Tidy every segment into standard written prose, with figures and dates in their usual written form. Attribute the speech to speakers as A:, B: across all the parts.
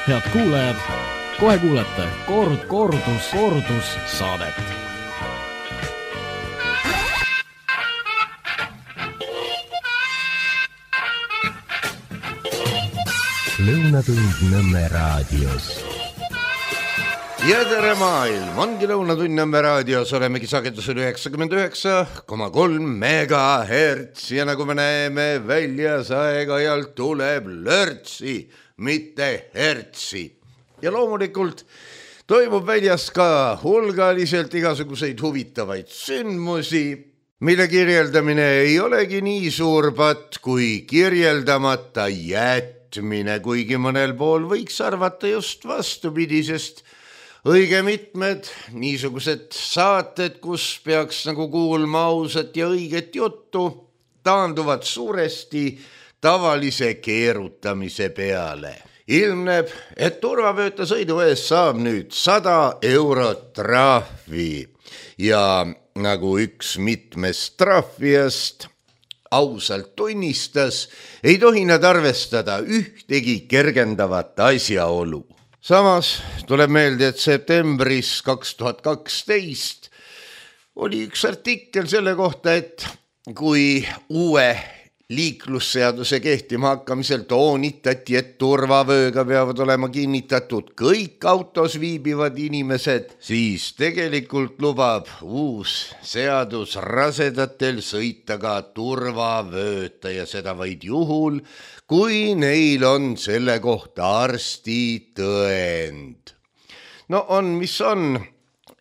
A: Head kuulajad, kohe kuulete kordus saadet.
B: Lõunatund Nõmme raadios.
C: Ja tere maailm, ongi Lõunatund Nõmme raadios, olemegi sagedusel 99,3 megahertz ja nagu me näeme väljas aeg-ajalt tuleb lörtsi, mitte hertsi. Ja loomulikult toimub väljas ka hulgaliselt igasuguseid huvitavaid sündmusi, mille kirjeldamine ei olegi nii suur patt kui kirjeldamata jätmine, kuigi mõnel pool võiks arvata just vastupidi, sest õige mitmed niisugused saated, kus peaks nagu kuulma ausat ja õiget juttu, taanduvad suuresti tavalise keerutamise peale. Ilmneb, et turvavööta sõidu ees saab nüüd 100 eurot trahvi ja nagu üks mitmest trahvijast ausalt tunnistas, ei tohi nad arvestada ühtegi kergendavat asjaolu. Samas tuleb meelde, et septembris 2012 oli üks artikkel selle kohta, et kui uue liiklusseaduse kehtima hakkamisel toonitati, et turvavööga peavad olema kinnitatud kõik autos viibivad inimesed, siis tegelikult lubab uus seadus rasedatel sõita ka turvavööta ja seda vaid juhul, kui neil on selle kohta arstitõend. No on, mis on.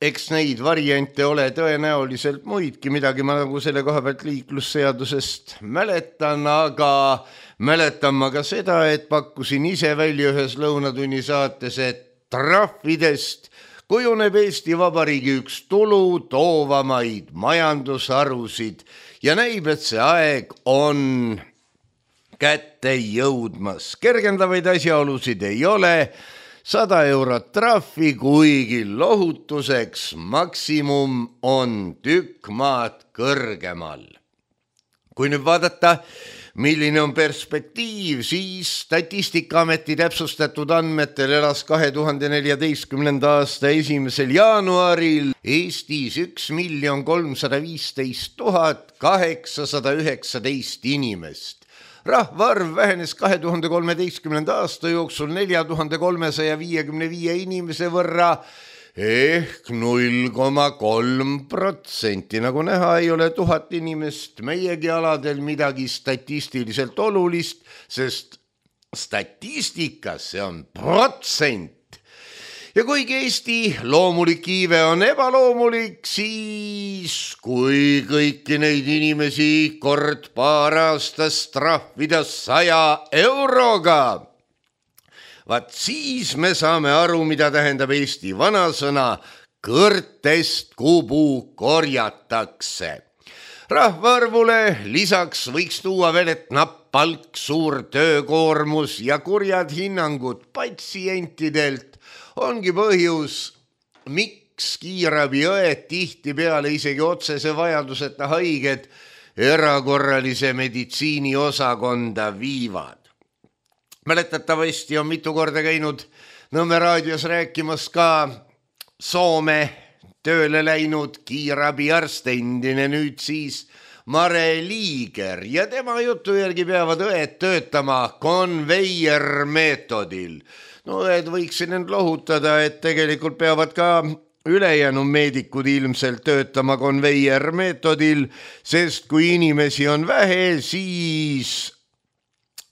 C: Eks neid variante ole tõenäoliselt muidki, midagi ma nagu selle koha pealt liiklusseadusest mäletan, aga mäletan ma ka seda, et pakkusin ise välja ühes Lõunatunni saates, et trahvidest kujuneb Eesti Vabariigi üks tulu toovamaid majandusharusid ja näib, et see aeg on kätte jõudmas. Kergendavaid asjaolusid ei ole, 100 eurot trahvi, kuigi lohutuseks maksimum on tükk maad kõrgemal. Kui nüüd vaadata, milline on perspektiiv, siis Statistikaameti täpsustatud andmetel elas 2014. aasta 1. jaanuaril Eestis 1 315 819 inimest. Rahvaarv vähenes 2013. aasta jooksul 4355 inimese võrra ehk 0,3%. Nagu näha, ei ole 1000 inimest meiegi aladel midagi statistiliselt olulist, sest statistikas see on protsent. Ja kuigi Eesti loomulik iive on ebaloomulik, siis kui kõiki neid inimesi kord paar aastas trahvida 100 euroga, vaat siis me saame aru, mida tähendab Eesti vanasõna kõrtest kubu korjatakse. Rahvaarvule lisaks võiks tuua veel, et napp palk, suur töökoormus ja kurjad hinnangud patsientidelt ongi põhjus, miks kiirabiõed tihtipeale isegi otsese vajaduseta haiged erakorralise meditsiini osakonda viivad. Mäletatavasti on mitu korda käinud Nõmme raadios rääkimas ka Soome tööle läinud kiirabiarst, endine nüüd siis Mare Liiger, ja tema jutu järgi peavad õed töötama konveiermeetodil. No õed võiksin end lohutada, et tegelikult peavad ka ülejäänud meedikud ilmselt töötama konveiermeetodil, sest kui inimesi on vähe, siis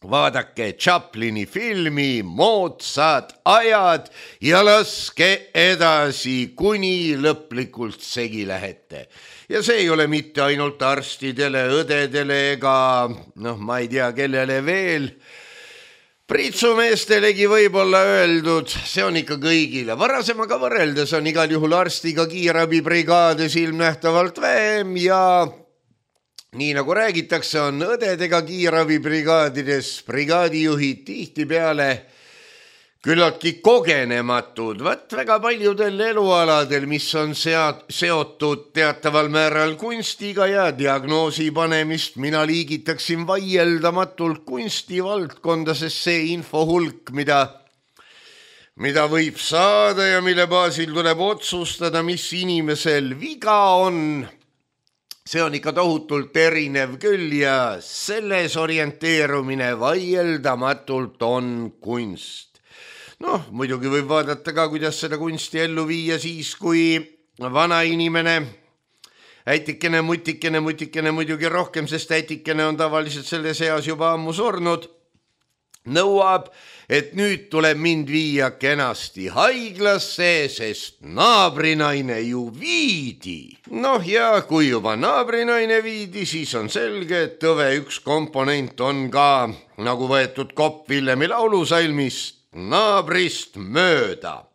C: vaadake Chaplini filmi Moodsad ajad ja laske edasi, kuni lõplikult segi lähete. Ja see ei ole mitte ainult arstidele, õdedele ega ma ei tea, kellele veel, pritsumeestelegi võib-olla öeldud, see on ikka kõigile. Varasemaga võrreldes on igal juhul arstiga kiirabibrigaades ilmnähtavalt vähem ja nii nagu räägitakse, on õdedega kiirabibrigaadides brigaadijuhid tihtipeale küllaltki kogenematud. Väga paljudel elualadel, mis on seotud teataval määral kunstiga ja diagnoosi panemist, mina liigitaksin vaieldamatult kunstivaldkonda, sest see info hulk, mida mida võib saada ja mille baasil tuleb otsustada, mis inimesel viga on. See on ikka tohutult erinev küll ja selles orienteerumine vaieldamatult on kunst. Noh, muidugi võib vaadata ka, kuidas seda kunsti ellu viia siis, kui vana inimene, äitikene, mutikene muidugi rohkem, sest äitikene on tavaliselt selles eas juba ammu surnud, nõuab, et nüüd tuleb mind viia kenasti haiglasse, sest naabrinaine ju viidi. Noh ja kui juba naabrinaine viidi, siis on selge, et tõve üks komponent on ka nagu võetud kopp Villemi laulusalmist naabrist mööda.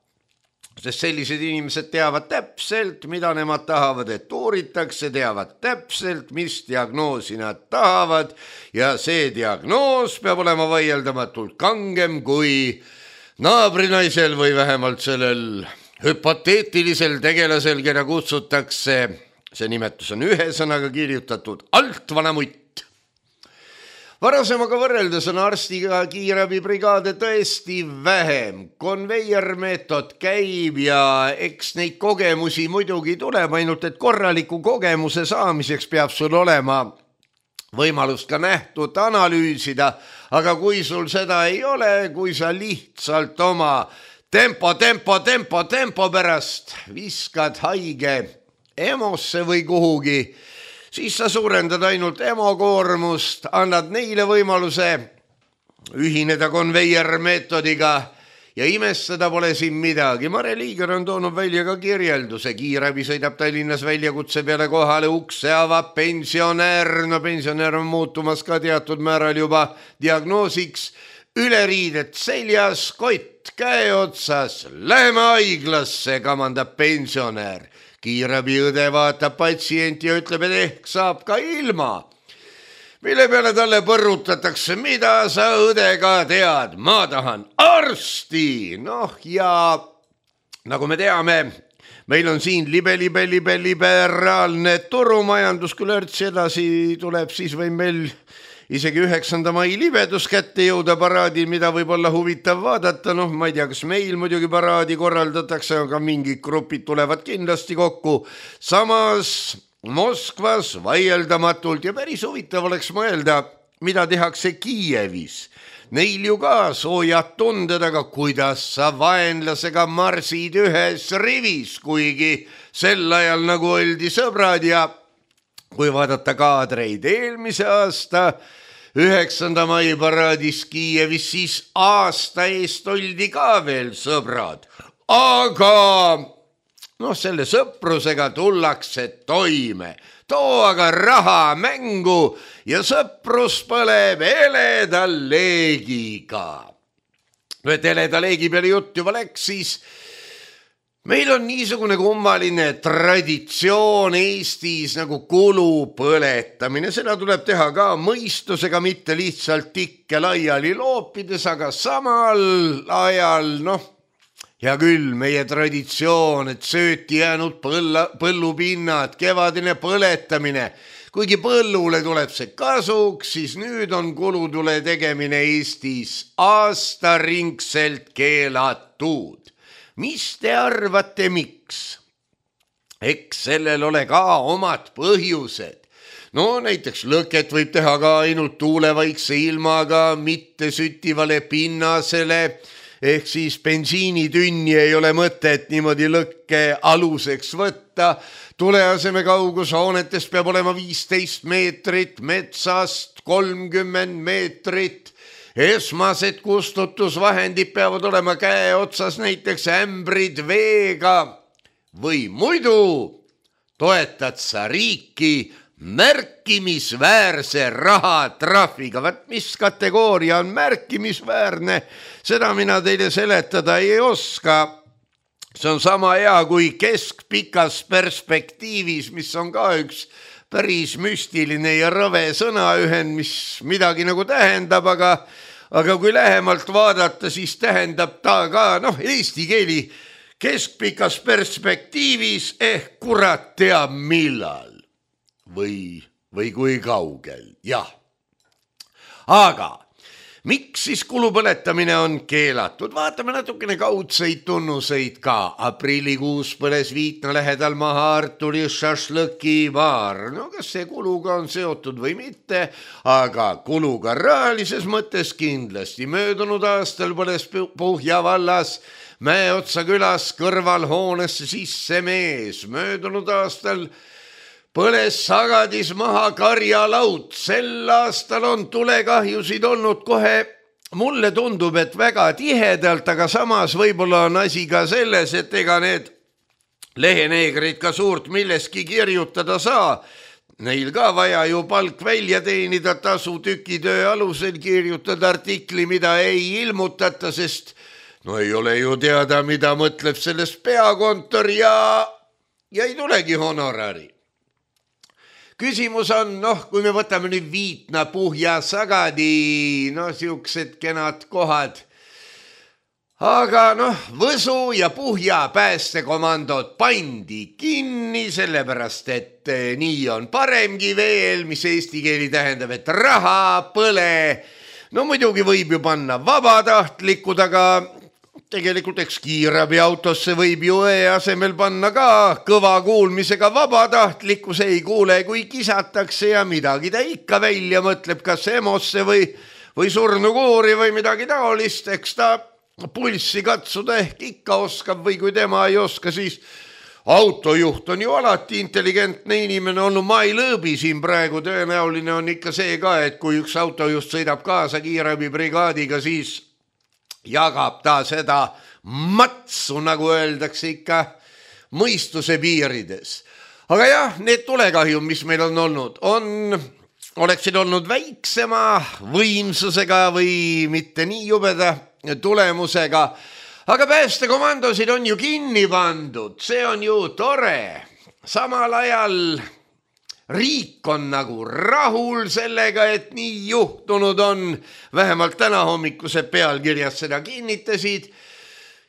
C: Sest sellised inimesed teavad täpselt, mida nemad tahavad, et uuritakse, teavad täpselt, mis diagnoosi nad tahavad ja see diagnoos peab olema vaieldamatult kangem kui naabrinaisel või vähemalt sellel hüpoteetilisel tegelasel, keda kutsutakse, see nimetus on ühe sõnaga kirjutatud, altvana mutt. Varasemaga võrreldes on arstiga kiirabibrigaade tõesti vähem. Konveiermeetod käib ja eks neid kogemusi muidugi tuleb, ainult et korraliku kogemuse saamiseks peab sul olema võimalust ka nähtut analüüsida, aga kui sul seda ei ole, kui sa lihtsalt oma tempo pärast viskad haige emosse või kuhugi, siis sa suurendad ainult emokoormust, annad neile võimaluse ühineda konveiermeetodiga ja imestada pole siin midagi. Mare Liiger on toonud välja ka kirjelduse. Kiirabi sõidab Tallinnas väljakutse peale kohale, ukse avab pensionär. No pensionär on muutumas ka teatud määral juba diagnoosiks. Üleriidet seljas, kott käe otsas, läheme haiglasse, kamandab pensionär. Kiirabiõde vaatab patsienti ja ütleb, et ehk saab ka ilma. Mille peale talle põrutatakse, mida sa õdega tead? Ma tahan arsti. Noh ja nagu me teame, meil on siin liberaalne turumajandus, kui lörts edasi tuleb, siis või meil isegi 9. mai libedus kätte jõuda paraadil, mida võib olla huvitav vaadata. Noh, ma ei tea, kas meil muidugi paraadi korraldatakse, aga mingid grupid tulevad kindlasti kokku. Samas Moskvas vaieldamatult ja päris huvitav oleks mõelda, mida tehakse Kiievis. Neil ju ka soojad tunded, aga kuidas sa vaenlasega marsid ühes rivis, kuigi sel ajal nagu oldi sõbrad ja kui vaadata kaadreid eelmise aasta 9. mai paraadis Kiievis, siis aasta eest oldi ka veel sõbrad. Aga selle sõprusega tullakse toime. Too aga raha mängu ja sõprus põleb heleda leegiga. Et heleda leegi peale jutt juba läks, siis meil on niisugune kummaline traditsioon Eestis nagu kulu põletamine. Seda tuleb teha ka mõistusega, mitte lihtsalt tikke laiali loopides, aga samal ajal, hea küll, meie traditsioon, et sööti jäänud põllupinnad, kevadine põletamine. Kuigi põllule tuleb see kasuks, siis nüüd on kulutule tegemine Eestis aastaringselt keelatud. Mis te arvate, miks? Eks sellel ole ka omad põhjused. Näiteks lõket võib teha ka ainult tuulevaikse ilmaga, mitte süttivale pinnasele, ehk siis bensiinitünni ei ole mõtet niimoodi lõkke aluseks võtta. Tuleaseme kaugus hoonetest peab olema 15 meetrit, metsast 30 meetrit. Esmased kustutusvahendid peavad olema käe otsas, näiteks ämbrid veega. Või muidu toetad sa riiki märkimisväärse rahatrahviga. Mis kategooria on märkimisväärne, seda mina teile seletada ei oska. See on sama hea kui keskpikas perspektiivis, mis on ka üks päris müstiline ja rõve sõnaühend, mis midagi nagu tähendab, aga kui lähemalt vaadata, siis tähendab ta ka eesti keeli keskpikas perspektiivis ehk kurat teab millal või kui kaugel, jah. Aga Miks siis kulupõletamine on keelatud? Vaatame natukene kaudseid tunnuseid ka. Aprillikuus põles Viitna lähedal maha Arturi šašlõkibaar. No kas see kuluga on seotud või mitte, aga kuluga rahalises mõttes kindlasti. Möödunud aastal põles Puhja vallas Mäeotsa külas kõrvalhoonesse sisse mees. Möödunud aastal põles Sagadis maha karjalaud. Sel aastal on tulekahjusid olnud kohe, mulle tundub, et väga tihedalt, aga samas võib-olla on asi ka selles, et ega need leheneegrid ka suurt milleski kirjutada saa. Neil ka vaja ju palk välja teenida, tasu tükitöö alusel kirjutada artikli, mida ei ilmutata, sest no ei ole ju teada, mida mõtleb sellest peakontor ja ei tulegi honorari. Küsimus on, kui me võtame nüüd Viitna, Puhja, Sagadi, siuksed kenad kohad. Aga Võsu ja Puhja päästekomandod pandi kinni, sellepärast et nii on paremgi veel, mis eesti keeli tähendab, et raha põle. No muidugi võib ju panna vabatahtlikud, aga tegelikult eks kiirabiautosse võib ju asemel panna ka kõva kuulmisega vabatahtlikku, see ei kuule, kui kisatakse ja midagi ta ikka välja mõtleb, kas EMO-sse või surnukuuri või midagi taolist, eks ta pulssi katsuda ehk ikka oskab või kui tema ei oska, siis autojuht on ju alati intelligentne inimene olnud, ma ei lõõbi siin praegu, tõenäoline on ikka see ka, et kui üks autojuht sõidab kaasa kiirabibrigaadiga, siis jagab ta seda matsu, nagu öeldakse ikka, mõistuse piirides. Aga jah, need tulekahjud, mis meil on olnud, oleksid olnud väiksema võimsusega või mitte nii jubeda tulemusega. Aga päästekomandosid on ju kinni pandud, see on ju tore. Samal ajal riik on nagu rahul sellega, et nii juhtunud on, vähemalt täna hommikused pealkirjad seda kinnitasid.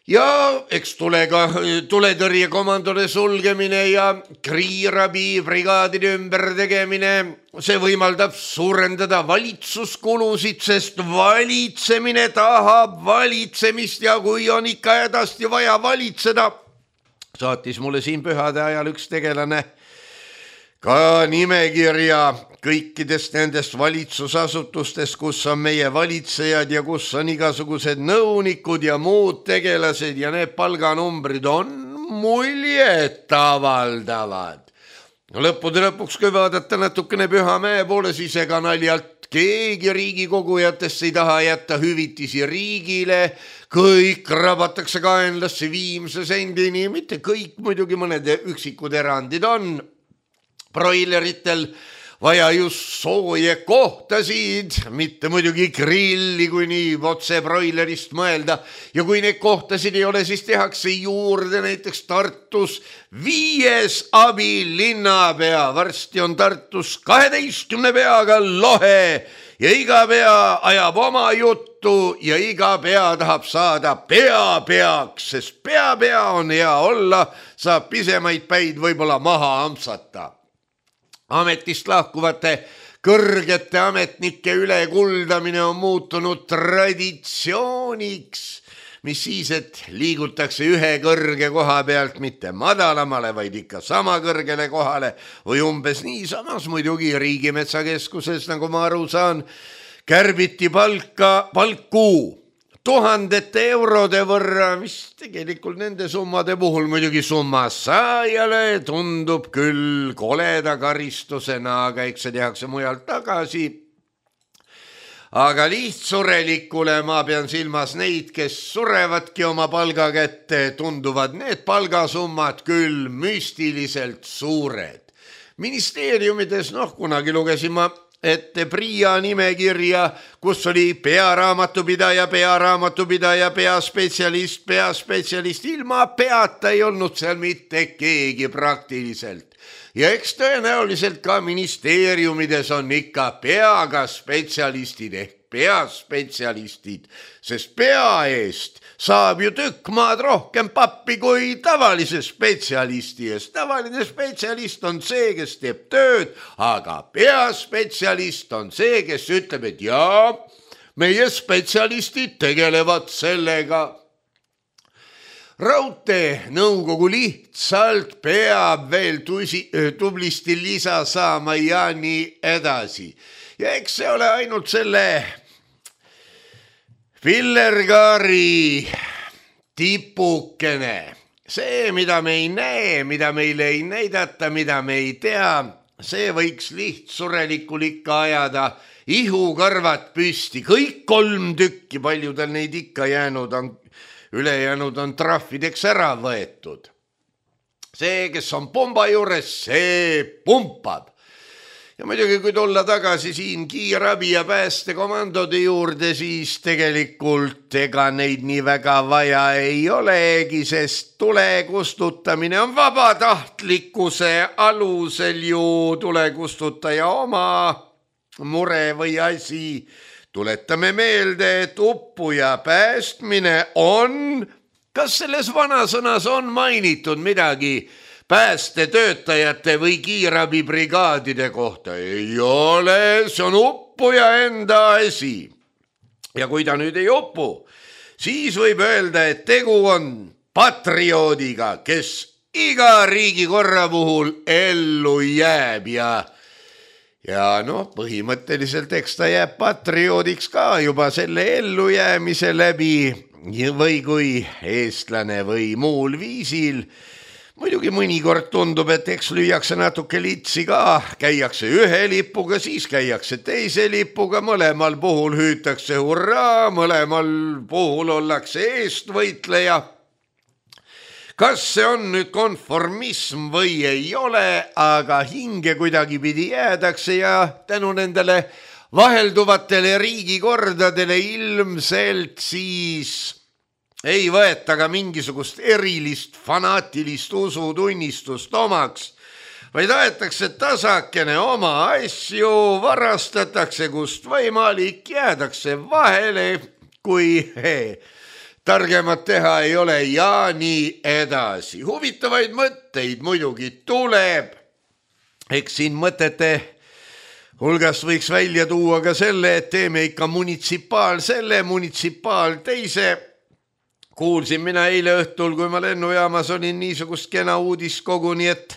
C: Ja eks tuletõrjekomandode sulgemine ja kiirabibrigaadide ümbertegemine, see võimaldab suurendada valitsuskulusid, sest valitsemine tahab valitsemist ja kui on ikka hädasti vaja valitseda, saatis mulle siin pühade ajal üks tegelane ka nimekirja kõikidest nendest valitsusasutustest, kus on meie valitsejad ja kus on igasugused nõunikud ja muud tegelased ja need palganumbrid on muljet avaldavad. Lõppude lõpuks, kui vaadata natukene Pühamäe poole, siis ega naljalt keegi riigikogujatest ei taha jätta hüvitisi riigile, kõik rabatakse kaenlasse viimse sendini, mitte kõik, muidugi mõned üksikud erandid on. Broileritel vaja just sooje kohtasid, mitte muidugi grilli, kui nii otse broilerist mõelda. Ja kui neid kohtasid ei ole, siis tehakse juurde näiteks Tartus 5 abilinnapea. Varsti on Tartus 12 peaga lohe ja iga pea ajab oma juttu ja iga pea tahab saada peapeaks, sest pea on hea olla, saab pisemaid päid võib-olla maha ampsata. Ametist lahkuvate kõrgete ametnike ülekuldamine on muutunud traditsiooniks, mis siis, et liigutakse ühe kõrge koha pealt mitte madalamale, vaid ikka sama kõrgele kohale või umbes nii. Samas muidugi Riigimetsakeskuses, nagu ma aru saan, kärbiti palku 1000 eurode võrra, mis tegelikult nende summade puhul muidugi summa saajale tundub küll koleda karistusena, aga eks see tehakse mujalt tagasi. Aga lihtsurelikule, ma pean silmas neid, kes surevadki oma palga kätte, tunduvad need palgasummad küll müstiliselt suured. Ministeeriumides, kunagi lugesin ma ette PRIA nimekirja, kus oli pearaamatupidaja, peaspetsialist, ilma peata ei olnud seal mitte keegi praktiliselt. Ja eks tõenäoliselt ka ministeeriumides on ikka peaga spetsialistid ehk peaspetsialistid, sest pea eest saab ju tükk maad rohkem pappi kui tavalise spetsialisti eest. Tavaline spetsialist on see, kes teeb tööd, aga peaspetsialist on see, kes ütleb, et jaa, meie spetsialistid tegelevad sellega. Raudtee nõukogu lihtsalt peab veel tublisti lisa saama ja nii edasi. Ja eks see ole ainult selle Pillergaari tipukene. See, mida me ei näe, mida meile ei näidata, mida me ei tea, see võiks lihtsurelikul ikka ajada ihukarvad püsti. Kõik 3 tükki, paljudel neid ikka jäänud on. Ülejäänud on trahvideks ära võetud. See, kes on pomba juures, see pumpab. Ja muidugi, kui tulla tagasi siin kiirabi ja päästekomandode juurde, siis tegelikult ega neid nii väga vaja ei olegi, sest tule kustutamine on vabatahtlikkuse alusel ju tulekustutaja oma mure või asi. Tuletame meelde, et uppuja päästmine on, kas selles vanasõnas on mainitud midagi päästetöötajate või kiirabibrigaadide kohta? Ei ole, see on uppuja enda asi. Ja kui ta nüüd ei upu, siis võib öelda, et tegu on patrioodiga, kes iga riigikorra puhul ellu jääb ja põhimõtteliselt eks ta jääb patrioodiks ka juba selle ellujäämise läbi või kui eestlane või muul viisil. Muidugi mõnikord tundub, et eks lüüakse natuke litsi ka, käiakse ühe lipuga, siis käiakse teise lipuga, mõlemal puhul hüütakse hurraa, mõlemal puhul ollakse eestvõitleja. Kas see on nüüd konformism või ei ole, aga hinge kuidagi pidi jäädakse ja tänu nendele vahelduvatele riigikordadele ilmselt siis ei võeta ka mingisugust erilist fanaatilist usutunnistust omaks, vaid aetakse tasakene oma asju, varastatakse kust võimalik, jäädakse vahele, kui targemat teha ei ole ja nii edasi. Huvitavaid mõtteid muidugi tuleb. Eks siin mõtete hulgast võiks välja tuua ka selle, et teeme ikka munitsipaal selle, munitsipaal teise. Kuulsin mina eile õhtul, kui ma lennujaamas olin niisugust kena uudist koguni, et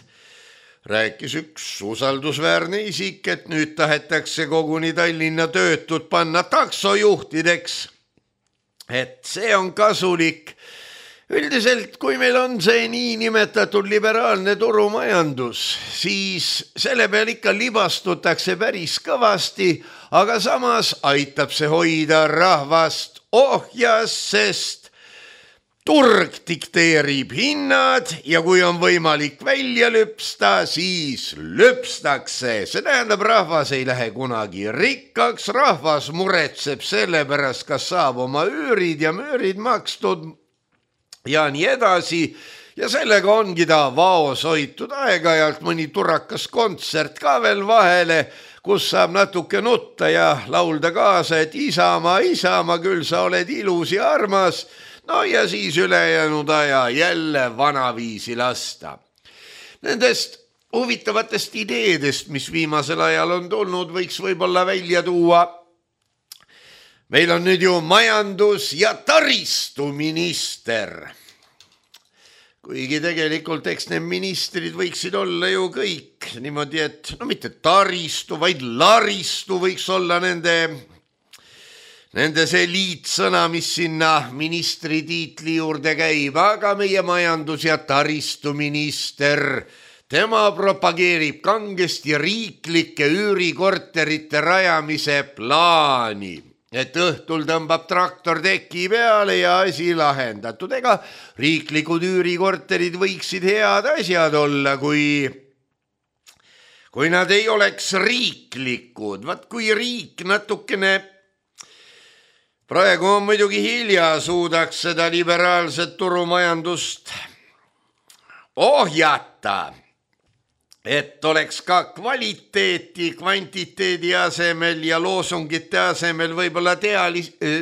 C: rääkis üks usaldusväärne isik, et nüüd tahetakse koguni Tallinna töötud panna taksojuhtideks. Et see on kasulik. Üldiselt, kui meil on see nii nimetatud liberaalne turumajandus, siis selle peal ikka libastutakse päris kõvasti, aga samas aitab see hoida rahvast ohjas, sest turg dikteerib hinnad ja kui on võimalik välja lüpsta, siis lüpstakse. See tähendab, rahvas ei lähe kunagi rikkaks, rahvas muretseb selle pärast, kas saab oma üürid ja müürid makstud ja nii edasi. Ja sellega ongi ta vaos hoitud aeg-ajalt mõni turakas kontsert ka veel vahele, kus saab natuke nutta ja laulda kaasa, et Isamaa, Isamaa, küll sa oled ilus ja armas. No ja siis ülejäänud aja jälle vanaviisi lasta. Nendest huvitavatest ideedest, mis viimasel ajal on tulnud, võiks võib-olla välja tuua. Meil on nüüd ju majandus- ja taristuminister. Kuigi tegelikult eks need ministrid võiksid olla ju kõik niimoodi, et mitte taristu, vaid laristu võiks olla nende see liitsõna, mis sinna ministri tiitli juurde käib, aga meie majandus- ja taristuminister, tema propageerib kangesti riiklike üürikorterite rajamise plaani, et õhtul tõmbab traktor teki peale ja asi lahendatud. Ega riiklikud üürikorterid võiksid head asjad olla, kui nad ei oleks riiklikud. Vaat kui riik natukene, praegu on muidugi hilja, suudaks seda liberaalset turumajandust ohjata, et oleks ka kvaliteeti kvantiteedi asemel ja loosungite asemel võib-olla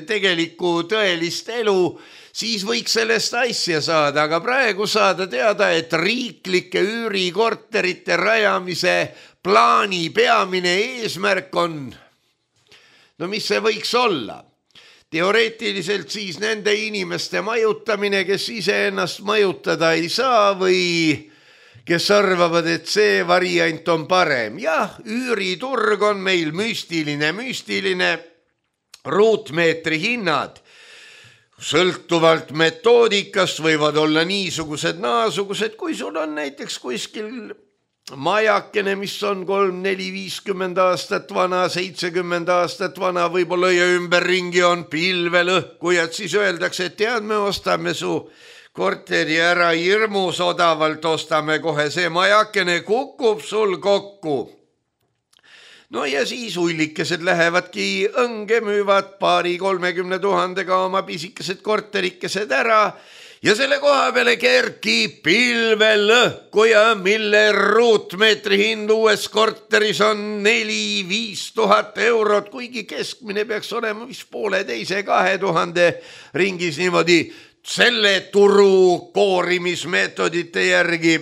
C: tegelikku tõelist elu, siis võiks sellest asja saada, aga praegu saada teada, et riiklike üürikorterite rajamise plaani peamine eesmärk on, no mis see võiks olla? teoreetiliselt siis nende inimeste majutamine, kes iseennast majutada ei saa või kes arvavad, et see variant on parem. Jah, üüriturg on meil müstiline, ruutmeetri hinnad sõltuvalt metoodikast võivad olla niisugused, naasugused, kui sul on näiteks kuskil majakene, mis on 3, 4, 50 aastat vana, 70 aastat vana, võib-olla ja ümberringi on pilvelõhkujad, siis öeldakse, et tead, me ostame su korteri ära hirmus odavalt, ostame kohe, see majakene kukub sul kokku. No ja siis ullikesed lähevadki õnge, müüvad 20-30 000 oma pisikesed korterikesed ära ja selle koha peale kerkib pilvelõhkuja, mille ruutmeetri hind uues korteris on 4-5 000 eurot, kuigi keskmine peaks olema vist 1,5–2,000 ringis niimoodi selle turu koorimismeetodite järgi.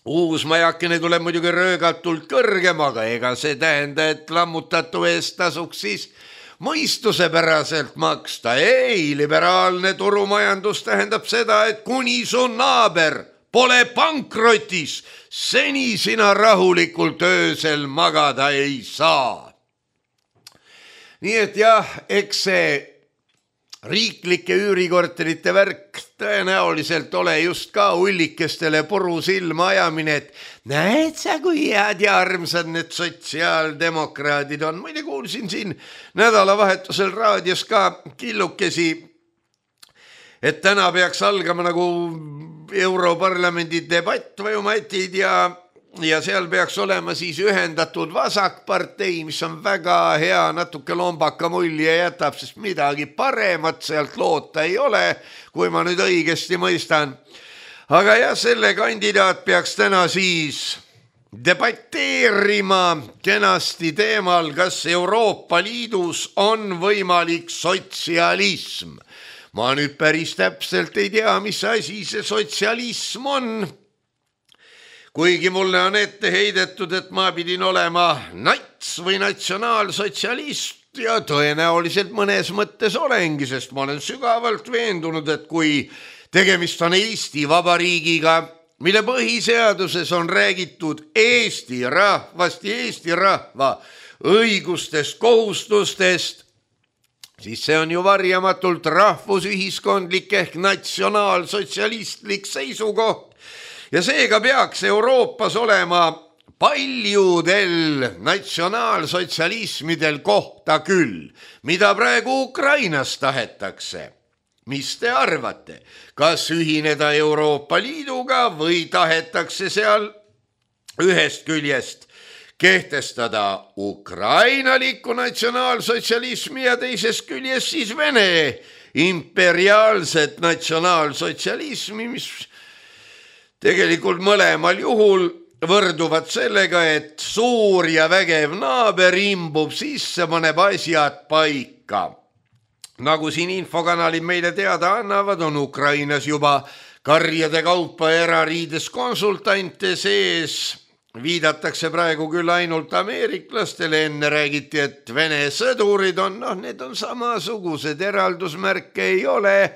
C: Uus majakene tuleb muidugi röögatult kõrgem, aga ega see tähenda, et lammutatu eest tasuks siis mõistusepäraselt maksta. Ei, liberaalne turumajandus tähendab seda, et kuni su naaber pole pankrotis, seni sina rahulikult öösel magada ei saa. Nii et jah, eks see riiklike üürikorterite värk tõenäoliselt ole just ka ullikestele puru silma ajamine, et näed sa, kui head ja armsad need sotsiaaldemokraadid on. Muide kuulsin siin nädalavahetusel raadios ka killukesi, et täna peaks algama nagu Europarlamendi debatt või matid ja seal peaks olema siis ühendatud vasakpartei, mis on väga hea, natuke lombaka mulje jätab, sest midagi paremat sealt loota ei ole, kui ma nüüd õigesti mõistan. Aga jah, selle kandidaat peaks täna siis debateerima kenasti teemal, kas Euroopa Liidus on võimalik sotsialism. Ma nüüd päris täpselt ei tea, mis asi see sotsialism on. Kuigi mulle on ette heidetud, et ma pidin olema nats või natsionaalsotsialist ja tõenäoliselt mõnes mõttes olengi, sest ma olen sügavalt veendunud, et kui tegemist on Eesti Vabariigiga, mille põhiseaduses on räägitud Eesti rahvast ja Eesti rahva õigustest, kohustustest, siis see on ju varjamatult rahvusühiskondlik ehk natsionaalsotsialistlik seisukoht. Ja seega peaks Euroopas olema paljudel natsionaalsotsialismidel kohta küll, mida praegu Ukrainas tahetakse. Mis te arvate, kas ühineda Euroopa Liiduga või tahetakse seal ühest küljest kehtestada ukrainalikku natsionaalsotsialismi ja teisest küljest siis Vene imperiaalset natsionaalsotsialismi, mis tegelikult mõlemal juhul võrduvad sellega, et suur ja vägev naaber imbub sisse, paneb asjad paika. Nagu siin infokanalid meile teada annavad, on Ukrainas juba karjade kaupa erariides konsultante sees. Viidatakse praegu küll ainult ameeriklastele, enne räägiti, et Vene sõdurid on, need on samasugused, eraldusmärke ei ole.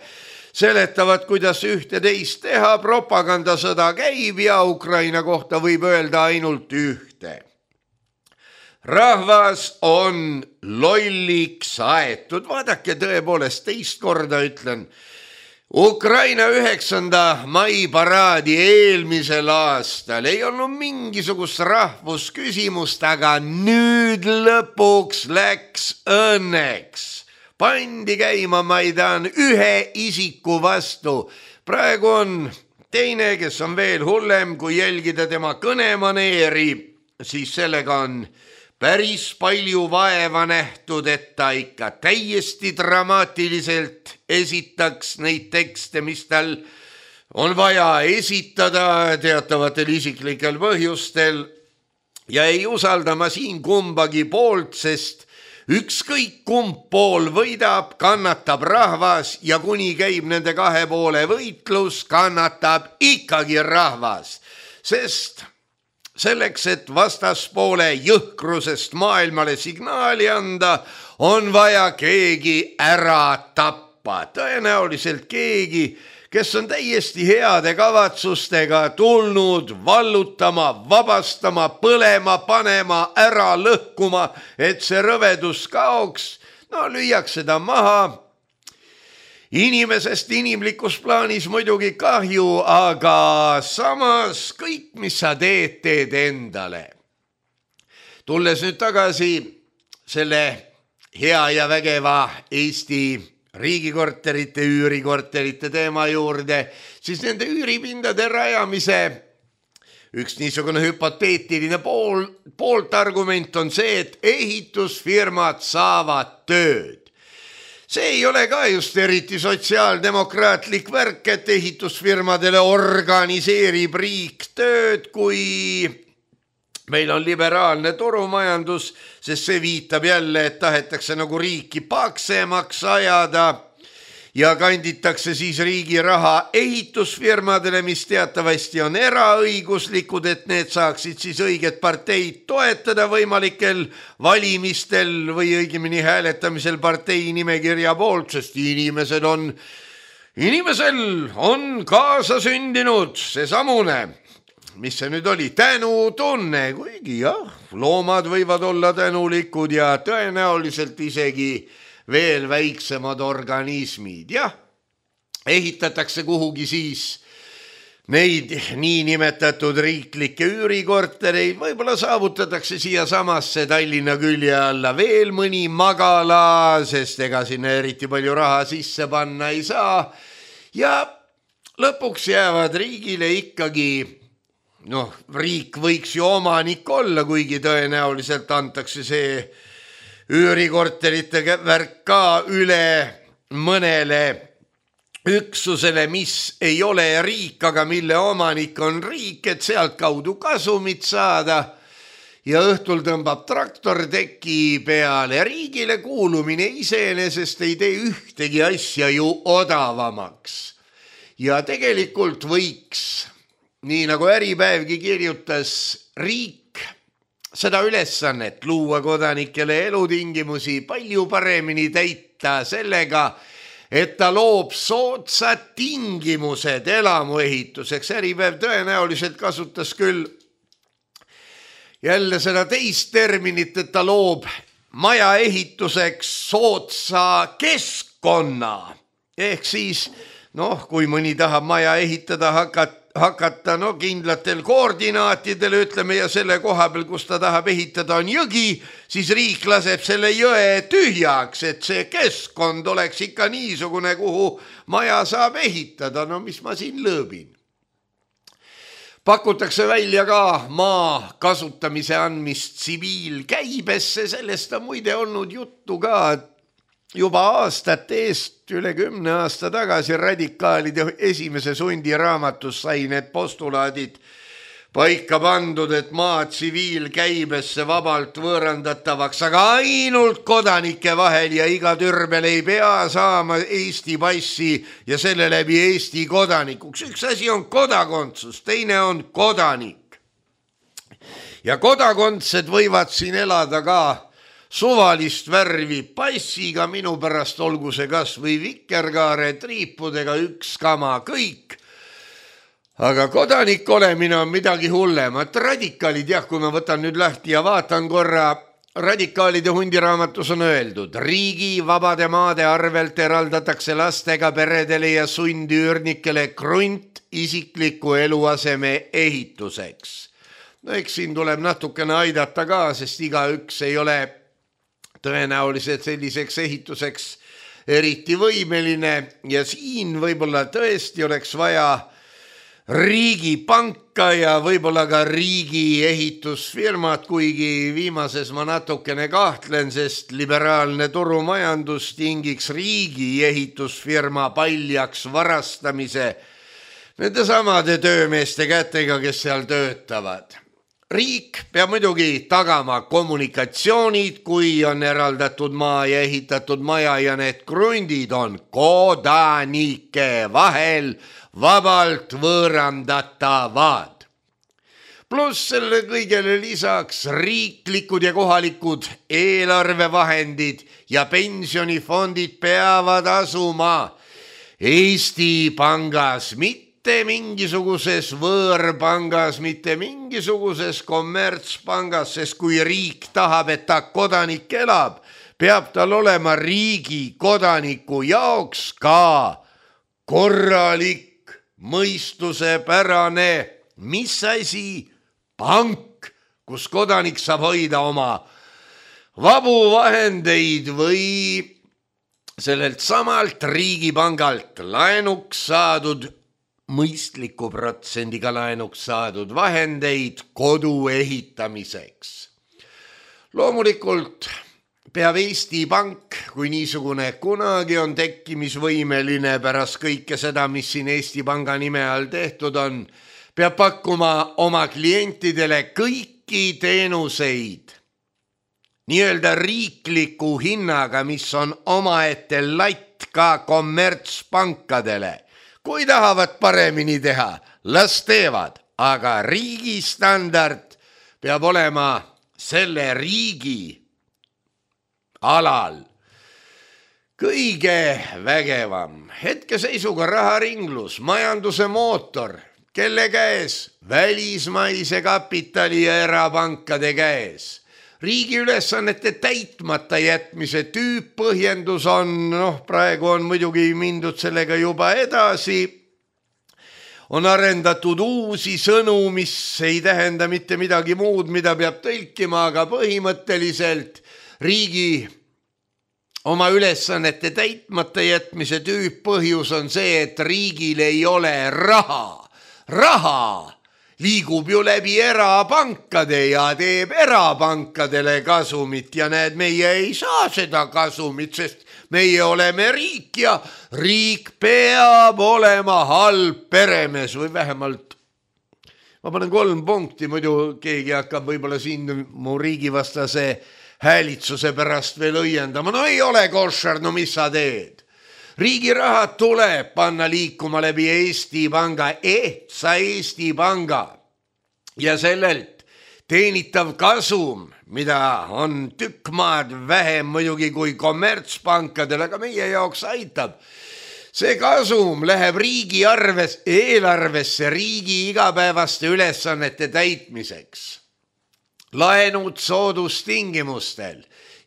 C: Seletavad, kuidas ühte teist teha, propagandasõda käib ja Ukraina kohta võib öelda ainult ühte. Rahvas on lolliks aetud, vaadake tõepoolest teist korda ütlen. Ukraina 9. mai paraadi eelmisel aastal ei olnud mingisugust rahvusküsimust, aga nüüd lõpuks läks õnneks. Pandi käima Maidan ühe isiku vastu. Praegu on teine, kes on veel hullem, kui jälgida tema kõnemaneeri, siis sellega on päris palju vaeva nähtud, et ta ikka täiesti dramaatiliselt esitaks neid tekste, mis tal on vaja esitada teatavatel isiklikel põhjustel ja ei usalda ma siin kumbagi poolt, sest ükskõik kumb pool võidab, kannatab rahvas ja kuni käib nende kahe poole võitlus, kannatab ikkagi rahvas. Sest selleks, et vastaspoole jõhkrusest maailmale signaali anda, on vaja keegi ära tappa. Tõenäoliselt keegi, kes on täiesti heade kavatsustega tulnud vallutama, vabastama, põlema, panema, ära lõhkuma, et see rõvedus kaoks. No lüüakse ta maha. Inimesest inimlikus plaanis muidugi kahju, aga samas kõik, mis sa teed, teed endale. Tulles nüüd tagasi selle hea ja vägeva Eesti riigikorterite, üürikorterite teema juurde, siis nende üüripindade rajamise üks niisugune hüpoteetiline pooltargument on see, et ehitusfirmad saavad tööd. See ei ole ka just eriti sotsiaaldemokraatlik värk, et ehitusfirmadele organiseerib riik tööd, kui meil on liberaalne turumajandus, sest see viitab jälle, et tahetakse nagu riiki paksemaks ajada ja kanditakse siis riigi raha ehitusfirmadele, mis teatavasti on eraõiguslikud, et need saaksid siis õiget parteid toetada võimalikel valimistel või õigemini hääletamisel partei nimekirja poolt, sest inimesel on kaasasündinud seesamune, mis see nüüd oli, tänutunne, kuigi jah, loomad võivad olla tänulikud ja tõenäoliselt isegi veel väiksemad organismid. Jah, ehitatakse kuhugi siis neid niinimetatud riiklikke üürikortereid, võib-olla saavutatakse siia samasse Tallinna külje alla veel mõni magala, sest ega sinna eriti palju raha sisse panna ei saa. Ja lõpuks jäävad riigile ikkagi, riik võiks ju omanik olla, kuigi tõenäoliselt antakse see üürikorterite värk ka üle mõnele üksusele, mis ei ole riik, aga mille omanik on riik, et sealt kaudu kasumit saada ja õhtul tõmbab traktor teki peale. Riigile kuulumine iseenesest ei tee ühtegi asja ju odavamaks. Ja tegelikult võiks, nii nagu Äripäevgi kirjutas, riik seda ülesannet luua kodanikele elutingimusi palju paremini täita sellega, et ta loob soodsad tingimused elamuehituseks. Äripäev tõenäoliselt kasutas küll jälle seda teist terminit, et ta loob maja ehituseks soodsa keskkonna. Ehk siis, kui mõni tahab maja ehitada hakata kindlatel koordinaatidel, ütleme, ja selle koha peal, kus ta tahab ehitada, on jõgi, siis riik laseb selle jõe tühjaks, et see keskkond oleks ikka niisugune, kuhu maja saab ehitada. Mis ma siin lõõbin? Pakutakse välja ka maa kasutamise andmist tsiviilkäibesse, sellest on muide olnud juttu ka juba aastate eest, üle 10 aasta tagasi radikaalide esimese sundiraamatus sai need postulaadid paika pandud, et maa tsiviilkäibesse vabalt võõrandatavaks, aga ainult kodanike vahel ja iga türbel ei pea saama Eesti passi ja selle läbi Eesti kodanikuks. Üks asi on kodakondsus, teine on kodanik. Ja kodakondsed võivad siin elada ka suvalist värvi passiga, minu pärast olgu see kas või vikerkaare triipudega, üks kama kõik. Aga kodanik olemine on midagi hullemat. Radikaalid, kui ma võtan nüüd lahti ja vaatan korra, radikaalide hundiraamatus on öeldud, riigi vabade maade arvelt eraldatakse lastega peredele ja sundüürnikele krunt isikliku eluaseme ehituseks. Eks siin tuleb natukene aidata ka, sest igaüks ei ole tõenäoliselt selliseks ehituseks eriti võimeline ja siin võib-olla tõesti oleks vaja riigipanka ja võib-olla ka riigi ehitusfirmat, kuigi viimases ma natukene kahtlen, sest liberaalne turumajandus tingiks riigi ehitusfirma paljaks varastamise nende samade töömeeste kätega, kes seal töötavad. Riik peab muidugi tagama kommunikatsioonid, kui on eraldatud maa ja ehitatud maja ja need krundid on kodanike vahel vabalt võõrandatavad. Pluss selle kõigele lisaks riiklikud ja kohalikud eelarvevahendid ja pensionifondid peavad asuma Eesti Pangas, mitte mingisuguses võõrpangas, mitte mingisuguses kommertspangas, sest kui riik tahab, et ta kodanik elab, peab tal olema riigi kodaniku jaoks ka korralik, mõistusepärane, mis asi, pank, kus kodanik saab hoida oma vabu vahendeid või sellelt samalt riigipangalt laenuks saadud, mõistliku protsendiga laenuks saadud vahendeid kodu ehitamiseks. Loomulikult peab Eesti Pank, kui niisugune kunagi on tekkimisvõimeline pärast kõike seda, mis siin Eesti Panga nime all tehtud on, peab pakkuma oma klientidele kõiki teenuseid nii-öelda riikliku hinnaga, mis on omaette latt ka kommertspankadele. Kui tahavad paremini teha, las teevad, aga riigi standard peab olema selle riigi alal kõige vägevam. Hetkeseisuga raharinglus, majanduse mootor, kelle käes? Välismaise kapitali ja erapankade käes. Riigi ülesannete täitmata jätmise tüüppõhjendus on, praegu on muidugi mindud sellega juba edasi, on arendatud uusi sõnu, mis ei tähenda mitte midagi muud, mida peab tõlkima, aga põhimõtteliselt riigi oma ülesannete täitmata jätmise tüüppõhjus on see, et riigil ei ole raha. Raha liigub ju läbi erapankade ja teeb erapankadele kasumit ja näed, meie ei saa seda kasumit, sest meie oleme riik ja riik peab olema halb peremees või vähemalt, ma panen 3 punkti, muidu keegi hakkab võib-olla siin mu riigivastase häälitsuse pärast veel õiendama. No ei ole koššar, no mis sa teed? Riigi raha tuleb panna liikuma läbi Eesti Panga, ehtsa Eesti Panga ja sellelt teenitav kasum, mida on tükk maad vähem muidugi kui kommertspankadel, aga meie jaoks aitab. See kasum läheb riigi eelarvesse riigi igapäevaste ülesannete täitmiseks. Laenud soodustingimustel.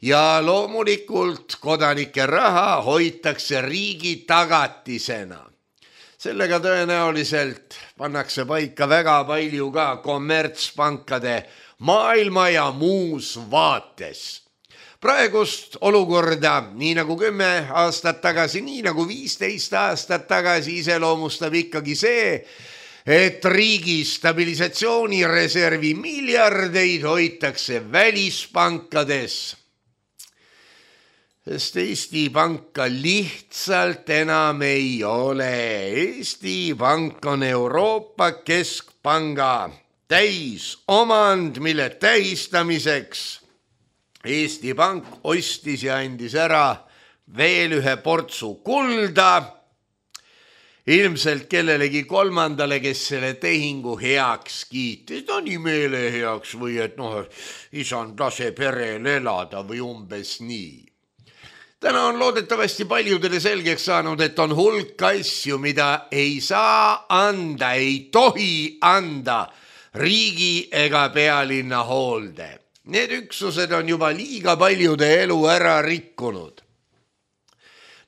C: Ja loomulikult kodanike raha hoitakse riigi tagatisena. Sellega tõenäoliselt pannakse paika väga palju ka kommertspankade maailma ja muus vaates. Praegust olukorda, nii nagu 10 aastat tagasi, nii nagu 15 aastat tagasi iseloomustab ikkagi see, et riigi stabilisatsioonireservi miljardeid hoitakse välispankades. Sest Eesti Panka lihtsalt enam ei ole. Eesti Pank on Euroopa Keskpanga täisomand, mille tähistamiseks Eesti Pank ostis ja andis ära veel ühe portsu kulda, ilmselt kellelegi kolmandale, kes selle tehingu heaks kiitis. No nii meele heaks või et isand lase perel elada või umbes nii. Täna on loodetavasti paljudele selgeks saanud, et on hulk asju, mida ei saa anda, ei tohi anda riigi ega pealinna hoolde. Need üksused on juba liiga paljude elu ära rikkunud.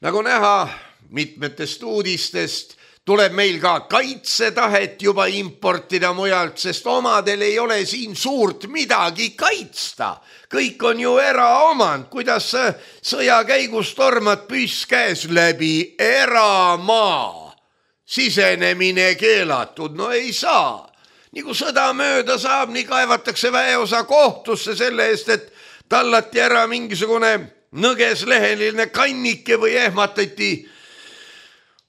C: Nagu näha mitmetest uudistest, tuleb meil ka kaitsetahet juba importida mujalt, sest omadel ei ole siin suurt midagi kaitsta. Kõik on ju eraomand, kuidas sõja käigus tormad püss käes läbi eramaa. Sisenemine keelatud, no ei saa. Nii kui sõda mööda saab, nii kaevatakse väeosa kohtusse selle eest, et tallati ära mingisugune nõgesleheline kannike või ehmatati,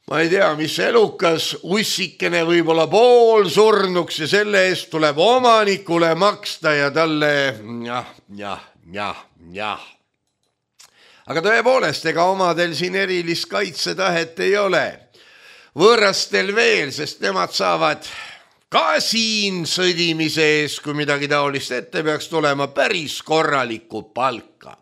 C: ma ei tea, mis elukas, ussikene võib-olla poolsurnuks ja selle eest tuleb omanikule maksta ja talle jah. Aga tõepoolest, ega omadel siin erilist kaitsetahet ei ole. Võõrastel veel, sest nemad saavad ka siin sõdimise ees, kui midagi taolist ette peaks tulema, päris korralikku palka.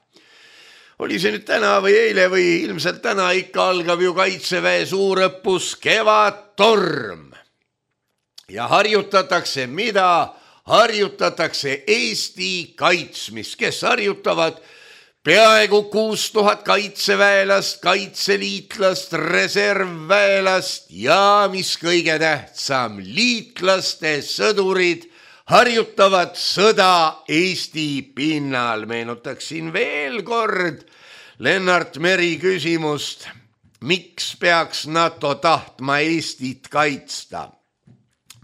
C: Oli see nüüd täna või eile või ilmselt täna ikka algab ju Kaitseväe suurõppus Kevadtorm. Ja harjutatakse mida? Harjutatakse Eesti kaitsmist, kes harjutavad peaaegu 6000 kaitseväelast, kaitseliitlast, reservväelast ja mis kõige tähtsam, liitlaste sõdurid harjutavad sõda Eesti pinnal. Meenutaksin veel kord Lennart Meri küsimust, miks peaks NATO tahtma Eestit kaitsta?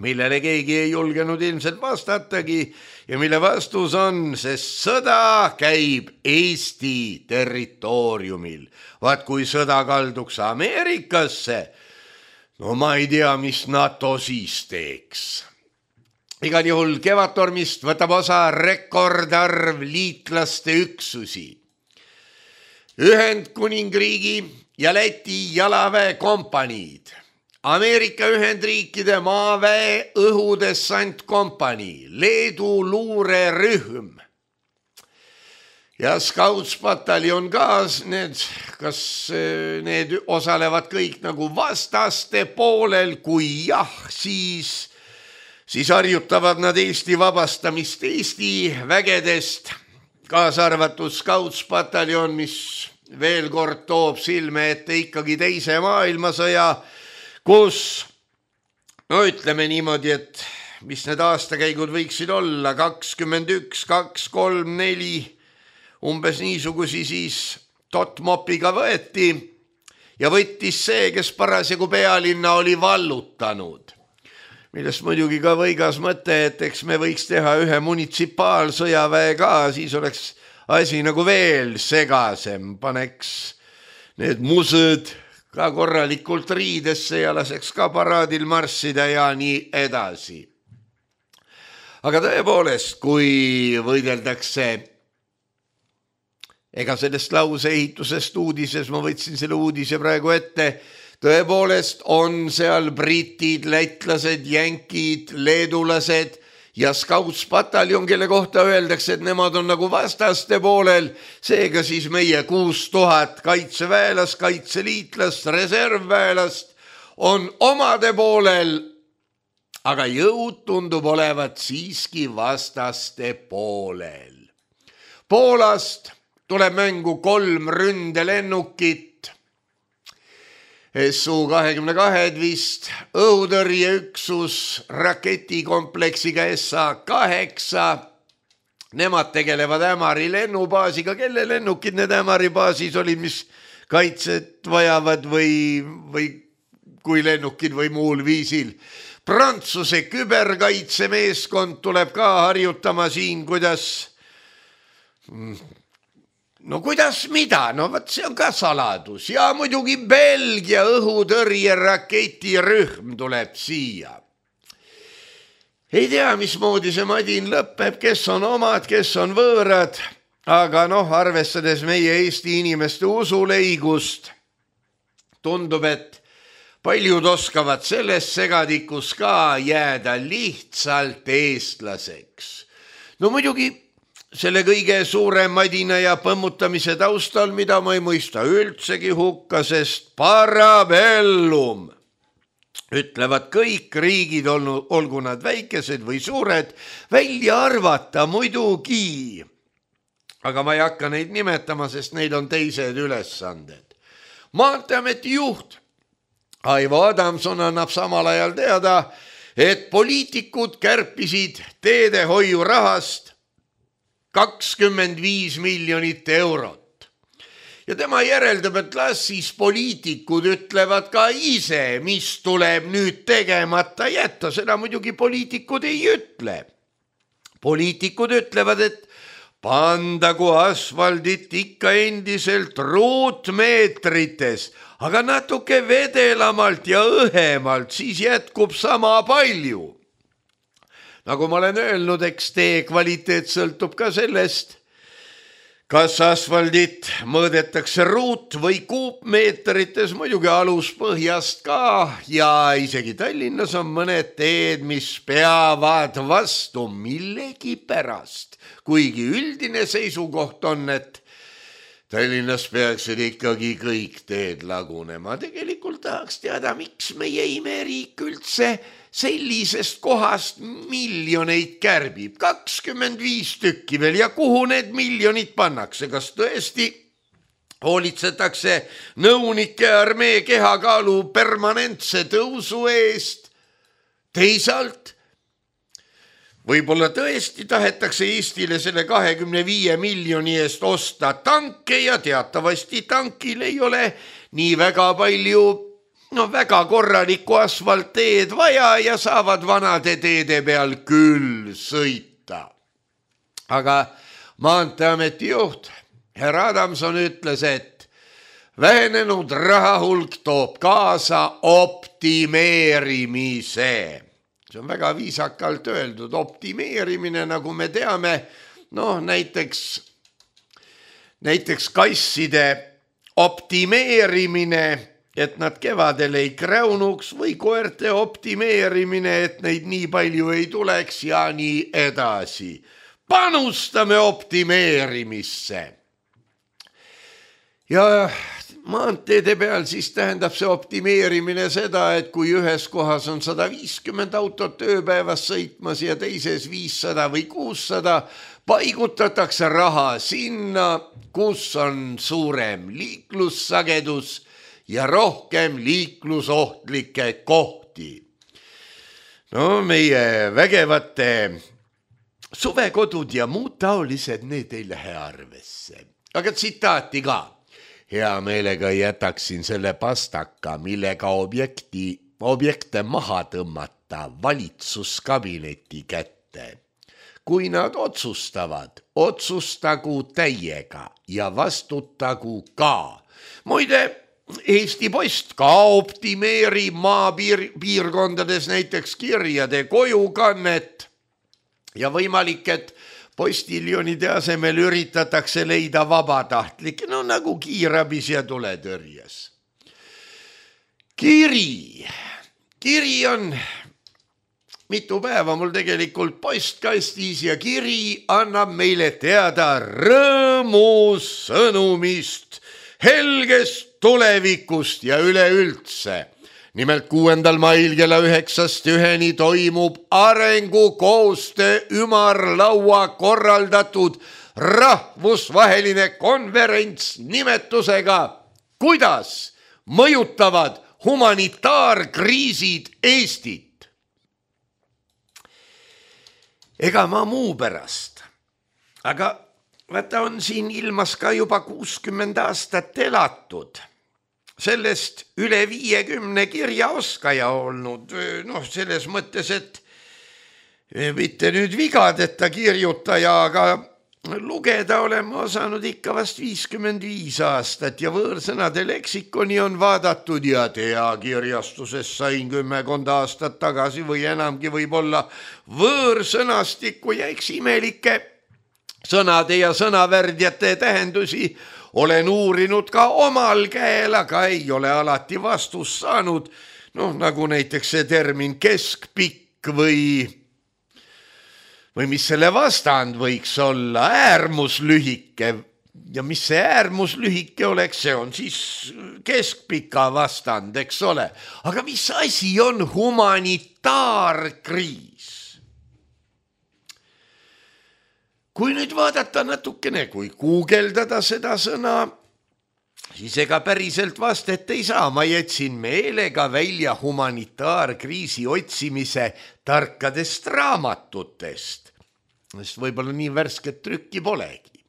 C: Millele keegi ei julgenud ilmselt vastatagi ja mille vastus on, sest sõda käib Eesti territooriumil. Vaat kui sõda kalduks Ameerikasse, no ma ei tea, mis NATO siis teeks. Igal juhul Kevadtormist võtab osa rekordarv liitlaste üksusi. Ühendkuningriigi ja Läti jalaväekompaniid, Ameerika Ühendriikide maaväe õhudessantkompanii, Leedu luurerühm ja Scoutspataljon ka, kas need osalevad kõik nagu vastaste poolel, kui jah, siis harjutavad nad Eesti vabastamist Eesti vägedest, kaasa arvatud Scoutspataljon, mis veel kord toob silme ette ikkagi teise maailmasõja, kus, no ütleme niimoodi, et mis need aastakäigud võiksid olla, 21, 2, 3, 4, umbes niisugusi siis Totmopiga võeti ja võttis see, kes parasjagu pealinna oli vallutanud. Millest muidugi ka võigas mõte, et eks me võiks teha ühe munitsipaalsõjaväe ka, siis oleks asi nagu veel segasem, paneks need mused ka korralikult riidesse ja laseks ka paraadil marssida ja nii edasi. Aga tõepoolest, kui võideldakse, ega sellest lauseehitusest uudises, ma võtsin selle uudise praegu ette, tõepoolest on seal britid, lätlased, jänkid, leedulased ja Scoutspataljon, kelle kohta öeldakse, et nemad on nagu vastaste poolel, seega siis meie 6000 kaitseväelast, kaitseliitlast, reservväelast on omade poolel, aga jõud tundub olevat siiski vastaste poolel. Poolast tuleb mängu 3 ründelennukit, Su-22 vist, õhutõrjeüksus raketikompleksiga SA-8, nemad tegelevad Ämari lennubaasiga, kelle lennukid need Ämari baasis olid, mis kaitset vajavad või kui lennukid või muul viisil. Prantsuse küberkaitsemeeskond tuleb ka harjutama siin, kuidas mida? No võt, see on ka saladus. Ja muidugi Belgia õhutõrje raketirühm tuleb siia. Ei tea, mismoodi see madin lõpeb, kes on omad, kes on võõrad, aga arvestades meie Eesti inimeste usuleigust, tundub, et paljud oskavad selles segadikus ka jääda lihtsalt eestlaseks. No muidugi selle kõige suurem madina ja põmmutamise taustal, mida ma ei mõista üldsegi hukka, sest parabellum, ütlevad kõik riigid, olgu nad väikesed või suured, välja arvata muidugi. Aga ma ei hakka neid nimetama, sest neil on teised ülesanded. Maanteeameti juht Aivo Adamson annab samal ajal teada, et poliitikud kärpisid teedehoiu rahast 25 miljonit eurot. Ja tema järeldab, et las siis poliitikud ütlevad ka ise, mis tuleb nüüd tegemata jätta. Seda muidugi poliitikud ei ütle. Poliitikud ütlevad, et pandagu asfaldit ikka endiselt ruutmeetrites, aga natuke vedelamalt ja õhemalt, siis jätkub sama palju. Nagu ma olen öelnud, eks tee kvaliteet sõltub ka sellest, Kas asfaldit mõõdetakse ruut- või kuupmeetrites, muidugi aluspõhjast ka ja isegi Tallinnas on mõned teed, mis peavad vastu millegi pärast. Kuigi üldine seisukoht on, et Tallinnas peaksid ikkagi kõik teed lagunema. Tegelikult tahaks teada, miks meie imeriik üldse sellisest kohast miljoneid kärbib, 25 tükki veel ja kuhu need miljonid pannakse, kas tõesti hoolitsetakse nõunike armee kehakaalu permanentse tõusu eest, teisalt võib-olla tõesti tahetakse Eestile selle 25 miljoni eest osta tanke ja teatavasti tankil ei ole nii väga palju väga korralikku asfaltteed vaja ja saavad vanade teede peal küll sõita. Aga Maanteeameti juht härra Adamson ütles, et vähenenud rahahulk toob kaasa optimeerimise. See on väga viisakalt öeldud, optimeerimine, nagu me teame, näiteks kasside optimeerimine, et nad kevadel ei kräunuks või koerte optimeerimine, et neid nii palju ei tuleks ja nii edasi. Panustame optimeerimisse. Ja maanteede peal siis tähendab see optimeerimine seda, et kui ühes kohas on 150 autot ööpäevas sõitmas ja teises 500 või 600, paigutatakse raha sinna, kus on suurem liiklussagedus ja rohkem liiklusohtlikke kohti. Meie vägevate suvekodud ja muud taolised, need ei lähe arvesse. Aga tsitaati ka. Hea meelega jätaksin selle pastaka, millega objekte maha tõmmata valitsuskabineti kätte. Kui nad otsustavad, otsustagu täiega ja vastutagu ka. Muide, Eesti Post ka optimeerib maapiirkondades näiteks kirjade kojukannet ja võimalik, et postiljonide asemel üritatakse leida vabatahtlikke, nagu kiirabis ja tuletõrjes. Kiri on mitu päeva mul tegelikult postkastis ja kiri annab meile teada rõõmusõnumist, helgest tulevikust ja üleüldse. Nimelt 6. mail kella 9-1 toimub arengukoostöö ümarlaua korraldatud rahvusvaheline konverents nimetusega Kuidas mõjutavad humanitaarkriisid Eestit? Ega ma muu pärast, aga vaata on siin ilmas ka juba 60 aastat elatud. Sellest üle 50 kirjaoskaja olnud, selles mõttes, et mitte nüüd vigadeta kirjutaja, aga lugeda oleme osanud ikka vast 55 aastat ja võõrsõnade leksikoni on vaadatud ja kirjastuses sain 10 aastat tagasi või enamgi võib-olla võõrsõnastikku ja eks imelikke sõnade ja sõnavärdjate tähendusi olen uurinud ka omal käel, aga ei ole alati vastust saanud. Nagu näiteks see termin keskpikk või mis selle vastand võiks olla, äärmuslühike. Ja mis see äärmuslühike oleks, see on siis keskpika vastand, eks ole. Aga mis asi on humanitaarkriis? Kui nüüd vaadata natukene, kui guugeldada seda sõna, siis ega päriselt vastet ei saa. Ma jätsin meelega välja humanitaarkriisi otsimise tarkadest raamatutest, sest võib-olla nii värsket trükki polegi.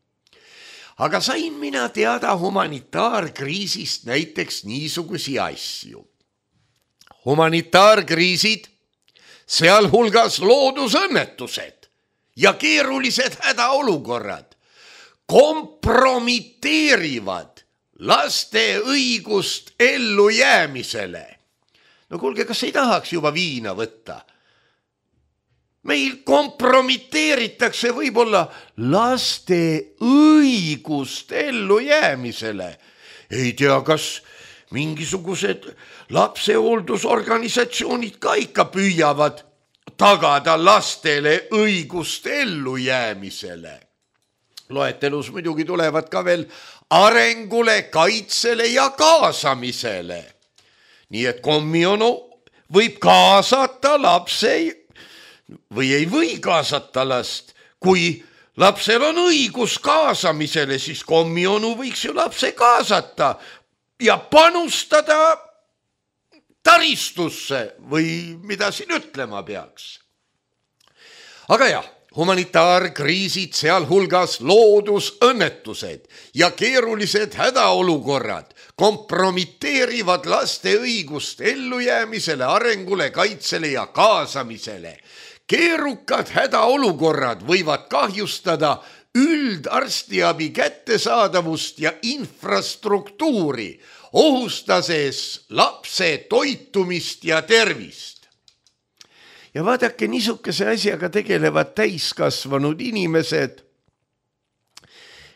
C: Aga sain mina teada humanitaarkriisist näiteks niisugusi asju. Humanitaarkriisid, sealhulgas loodusõnnetused ja keerulised hädaolukorrad kompromiteerivad laste õigust ellujäämisele. Kuulge, kas ei tahaks juba viina võtta? meil kompromiteeritakse võib-olla laste õigust ellujäämisele. Ei tea, kas mingisugused lapsehooldusorganisatsioonid ka ikka püüavad tagada lastele õigust ellujäämisele. Loetelus muidugi tulevad ka veel arengule, kaitsele ja kaasamisele. Nii et kommionu võib kaasata lapse või ei või kaasata last. Kui lapsel on õigus kaasamisele, siis kommionu võiks ju lapse kaasata ja panustada taristusse või mida siin ütlema peaks. Aga jah, humanitaarkriisid, sealhulgas loodusõnnetused ja keerulised hädaolukorrad kompromiteerivad laste õigust ellujäämisele, arengule, kaitsele ja kaasamisele. Keerukad hädaolukorrad võivad kahjustada üldarstiabi kättesaadavust ja infrastruktuuri, ohustades lapse toitumist ja tervist. Ja vaadake, niisuguse asjaga tegelevad täiskasvanud inimesed,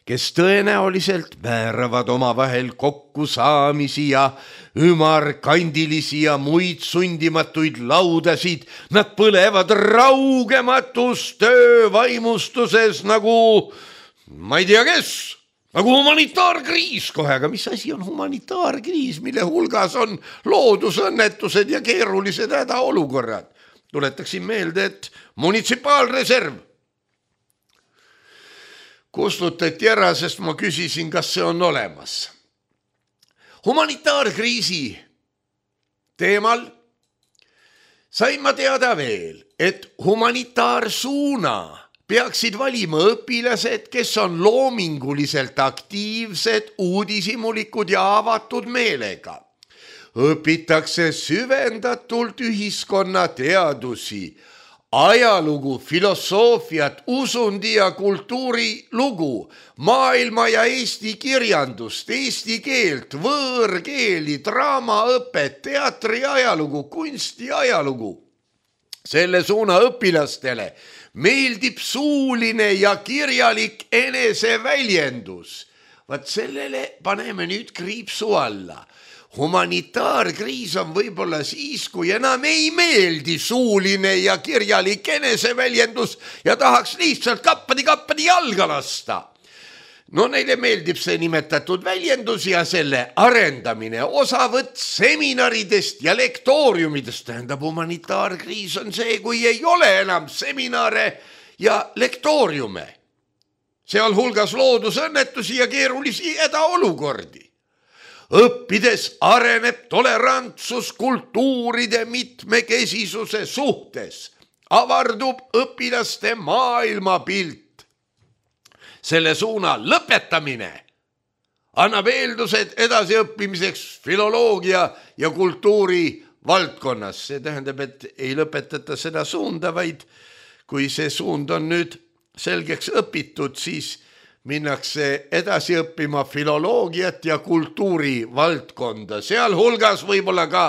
C: kes tõenäoliselt määravad omavahel kokkusaamisi ja ümarkandilisi ja muid sundimatuid laudasid. Nad põlevad raugematus töövaimustuses nagu, ma ei tea kes, nagu humanitaarkriis kohe. Aga mis asi on humanitaarkriis, mille hulgas on loodusõnnetused ja keerulised hädaolukorrad? Tuletaksin meelde, et munitsipaalreserv kustutati ära, sest ma küsisin, kas see on olemas. Humanitaarkriisi teemal sain ma teada veel, et humanitaarsuuna peaksid valima õpilased, kes on loominguliselt aktiivsed, uudishimulikud ja avatud meelega. Õpitakse süvendatult ühiskonna teadusi, ajalugu, filosoofiat, usundi ja kultuuri lugu, maailma ja eesti kirjandust, eesti keelt, võõrkeeli, draamaõpet, teatri ajalugu, kunsti ajalugu. Selle suuna õpilastele meeldib suuline ja kirjalik eneseväljendus. Vaat sellele paneme nüüd kriipsu alla. Humanitaarkriis on võib-olla siis, kui enam ei meeldi suuline ja kirjalik eneseväljendus ja tahaks lihtsalt kappadi jalga lasta. No neile meeldib see nimetatud väljendus ja selle arendamine, osavõtt seminaridest ja lektooriumidest. Tähendab, humanitaarkriis on see, kui ei ole enam seminare ja lektooriume, sealhulgas loodusõnnetusi ja keerulisi hädaolukordi. Õppides areneb tolerantsus kultuuride mitmekesisuse suhtes, avardub õpilaste maailmapilt. Selle suuna lõpetamine annab eeldused edasiõppimiseks filoloogia ja kultuuri valdkonnas. See tähendab, et ei lõpetata seda suunda, vaid kui see suund on nüüd selgeks õpitud, siis minnakse edasi õppima filoloogiat ja kultuuri valdkonda, sealhulgas võib-olla ka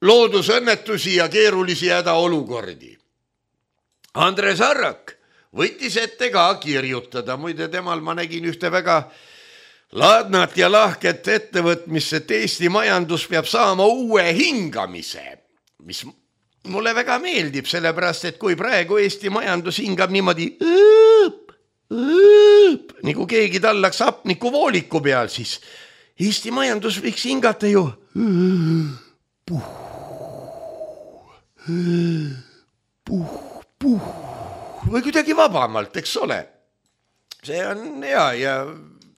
C: loodusõnnetusi ja keerulisi hädaolukordi. Andres Arrak võttis ette ka kirjutada, muide temal ma nägin ühte väga laadnat ja lahket ettevõtmist, et Eesti majandus peab saama uue hingamise, mis mulle väga meeldib, sellepärast et kui praegu Eesti majandus hingab niimoodi nagu keegi tallaks hapniku vooliku peal, siis Eesti majandus võiks hingata ju või kuidagi vabamalt, eks ole. See on hea ja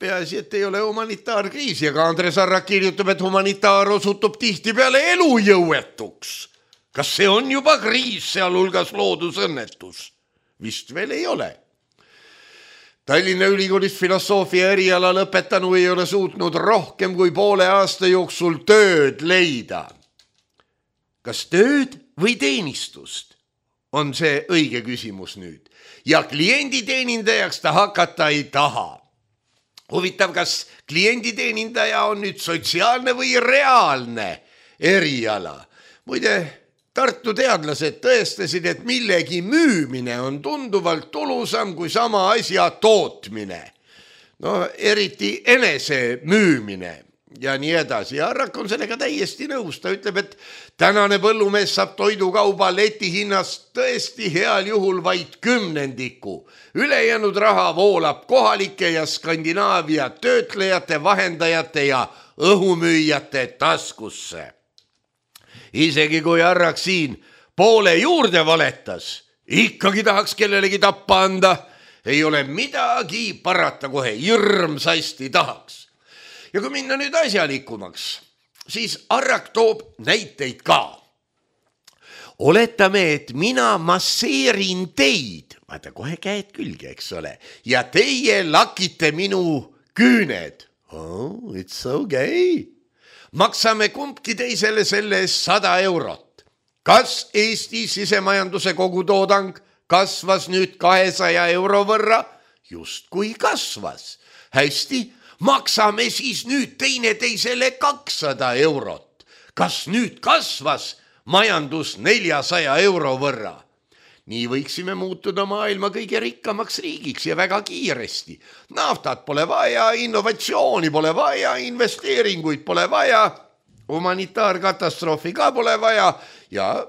C: peaasi, et ei ole humanitaarkriisi, aga Andres Arrak kirjutab, et humanitaar osutub tihtipeale elujõuetuks. Kas see on juba kriis, sealhulgas loodusõnnetus? Vist veel ei ole. Tallinna Ülikoolis filosoofia eriala lõpetanu ei ole suutnud rohkem kui poole aasta jooksul tööd leida. Kas tööd või teenistust? On see õige küsimus nüüd. Ja klienditeenindajaks ta hakata ei taha. Huvitav, kas klienditeenindaja on nüüd sotsiaalne või reaalne eriala? Muide, Tartu teadlased tõestasid, et millegi müümine on tunduvalt tulusam kui sama asja tootmine. No eriti enese müümine ja nii edasi. Ja Arrak on sellega täiesti nõus. Ta ütleb, et tänane põllumees saab toidukauba leti hinnast tõesti heal juhul vaid 10%. Ülejäänud raha voolab kohalike ja Skandinaavia töötlejate, vahendajate ja õhumüüjate taskusse. Isegi kui Arrak siin poole juurde valetas, ikkagi tahaks kellelegi tappa anda. Ei ole midagi parata, kohe hirmsasti tahaks. Ja kui minna nüüd asjalikumaks, siis Arrak toob näiteid ka. Oletame, et mina masseerin teid, vaata kohe käed külge, eks ole, ja teie lakite minu küüned. Oh, it's okay. Maksame kumbki teisele selle 100 eurot. Kas Eesti sisemajanduse kogutoodang kasvas nüüd 200 euro võrra? Just kui kasvas. Hästi, maksame siis nüüd teineteisele 200 eurot. Kas nüüd kasvas majandus 400 euro võrra? Nii võiksime muutuda maailma kõige rikkamaks riigiks ja väga kiiresti. Naftat pole vaja, innovatsiooni pole vaja, investeeringuid pole vaja, humanitaarkatastroofi ka pole vaja ja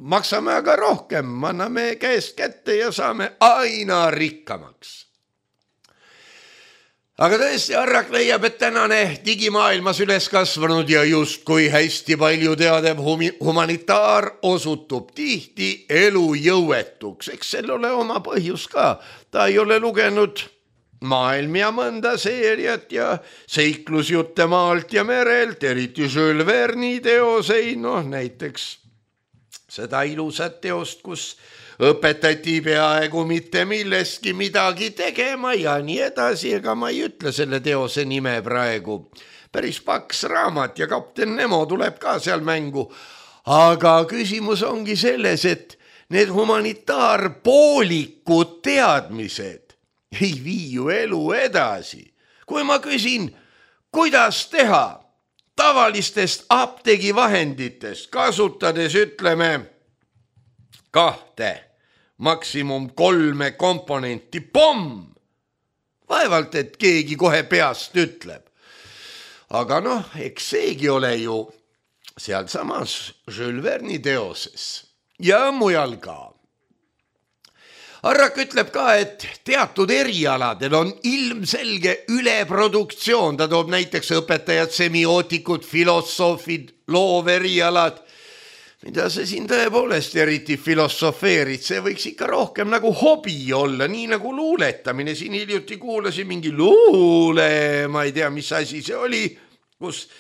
C: maksame aga rohkem, anname käest kätte ja saame aina rikkamaks. Aga tõesti Arrak leiab, et tänane digimaailmas üles kasvanud ja just kui hästi palju teadev humanitaar osutub tihti elujõuetuks. Eks sel ole oma põhjus ka. Ta ei ole lugenud maailm ja mõnda seeriat ja seiklusjutte maalt ja merelt, eriti Jules Verne'i teoseid, näiteks seda ilusat teost, kus õpetati peaaegu mitte millestki midagi tegema ja nii edasi, ega ma ei ütle selle teose nime praegu. Päris paks raamat ja kapten Nemo tuleb ka seal mängu. Aga küsimus ongi selles, et need humanitaarpoolikud teadmised ei vii ju elu edasi. Kui ma küsin, kuidas teha tavalistest apteegivahenditest, kasutades ütleme 2, maksimum 3 komponenti, pomm! Vaevalt, et keegi kohe peast ütleb. Aga eks seegi ole ju seal samas Jules Verne'i teoses ja mujal ka. Arrak ütleb ka, et teatud erialadel on ilmselge üleproduktsioon. Ta toob näiteks õpetajad, semiootikud, filosoofid, looverialad. Mida see siin tõepoolest eriti filosofeerid, see võiks ikka rohkem nagu hobi olla, nii nagu luuletamine. Siin hiljuti kuulasin mingi luule, ma ei tea, mis asi see oli, kus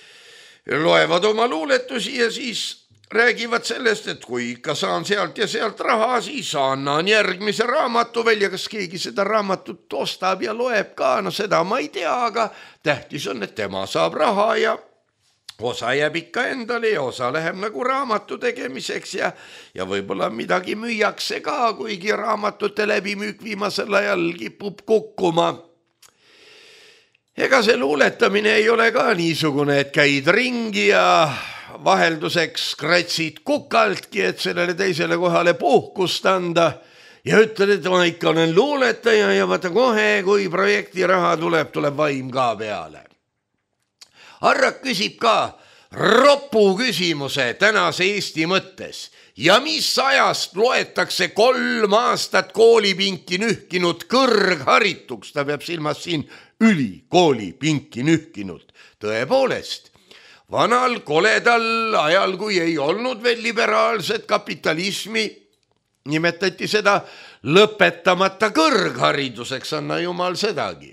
C: loevad oma luuletusi ja siis räägivad sellest, et kui ikka saan sealt ja sealt raha, siis annan järgmise raamatu välja. Kas keegi seda raamatut ostab ja loeb ka? Seda ma ei tea, aga tähtis on, et tema saab raha ja osa jääb ikka endale ja osa läheb nagu raamatu tegemiseks ja võib-olla midagi müüakse ka, kuigi raamatute läbimüük viimasel ajal kipub kukkuma. Ega see luuletamine ei ole ka niisugune, et käid ringi ja vahelduseks kratsid kukaltki, et sellele teisele kohale puhkust anda ja ütled, et ma ikka olen luuletaja ja vaata kohe, kui projekti raha tuleb vaim ka peale. Arrak küsib ka ropu küsimuse tänase Eesti mõttes. Ja mis ajast loetakse 3 aastat koolipinki nühkinud kõrgharituks? Ta peab silmas siin ülikoolipinki nühkinud. Tõepoolest, vanal koledal ajal, kui ei olnud veel liberaalset kapitalismi, nimetati seda lõpetamata kõrghariduseks, anna jumal sedagi.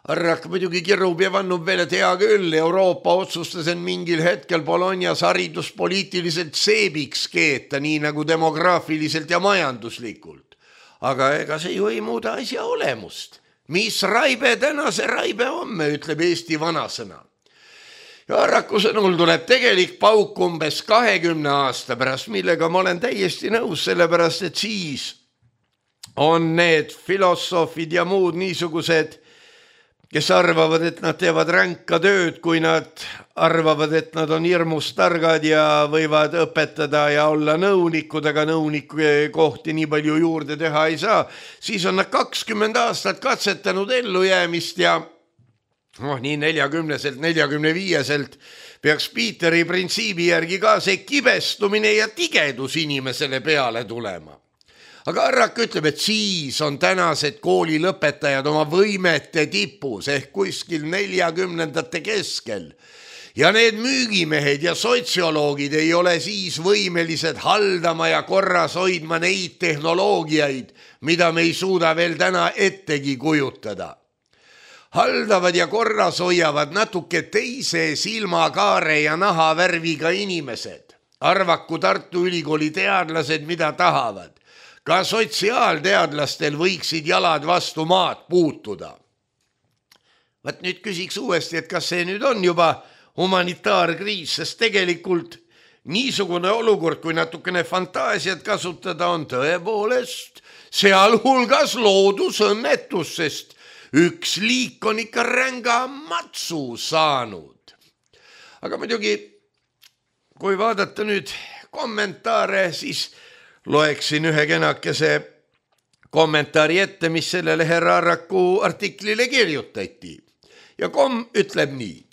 C: Arrak muidugi kirub ja vannub veel, et hea küll, Euroopa otsustas en mingil hetkel Bolognas hariduspoliitiliselt seebiks keeta, nii nagu demograafiliselt ja majanduslikult. Aga ega see ju ei muuda asja olemust. Mis raibe täna, see raibe homme, ütleb Eesti vanasõna. Ja Arraku sõnul tuleb tegelik pauk umbes 20 aasta pärast, millega ma olen täiesti nõus, sellepärast et siis on need filosoofid ja muud niisugused kes arvavad, et nad teevad ränka tööd, kui nad arvavad, et nad on hirmus targad ja võivad õpetada ja olla nõunikud, aga nõuniku kohti nii palju juurde teha ei saa, siis on nad 20 aastat katsetanud ellujäämist ja nii 40-selt, 45-selt peaks Piiteri printsiibi järgi ka see kibestumine ja tigedus inimesele peale tulema. Aga Arrak ütleb, et siis on tänased koolilõpetajad oma võimete tipus ehk kuskil 40-ndate keskel. Ja need müügimehed ja sotsioloogid ei ole siis võimelised haldama ja korras hoidma neid tehnoloogiaid, mida me ei suuda veel täna ettegi kujutada. Haldavad ja korras hoiavad natuke teise silmakaare ja nahavärviga inimesed. Arvaku Tartu Ülikooli teadlased, mida tahavad. Ka sotsiaalteadlastel võiksid jalad vastu maad puutuda. Vaat nüüd küsiks uuesti, et kas see nüüd on juba humanitaarkriis, sest tegelikult niisugune olukord, kui natukene fantaasiat kasutada, on tõepoolest sealhulgas loodusõnnetus, sest üks liik on ikka ränga matsu saanud. Aga muidugi, kui vaadata nüüd kommentaare, siis loeksin ühe kenakese kommentaari ette, mis sellele härra Arraku artiklile kirjutati. Ja ütleb nii.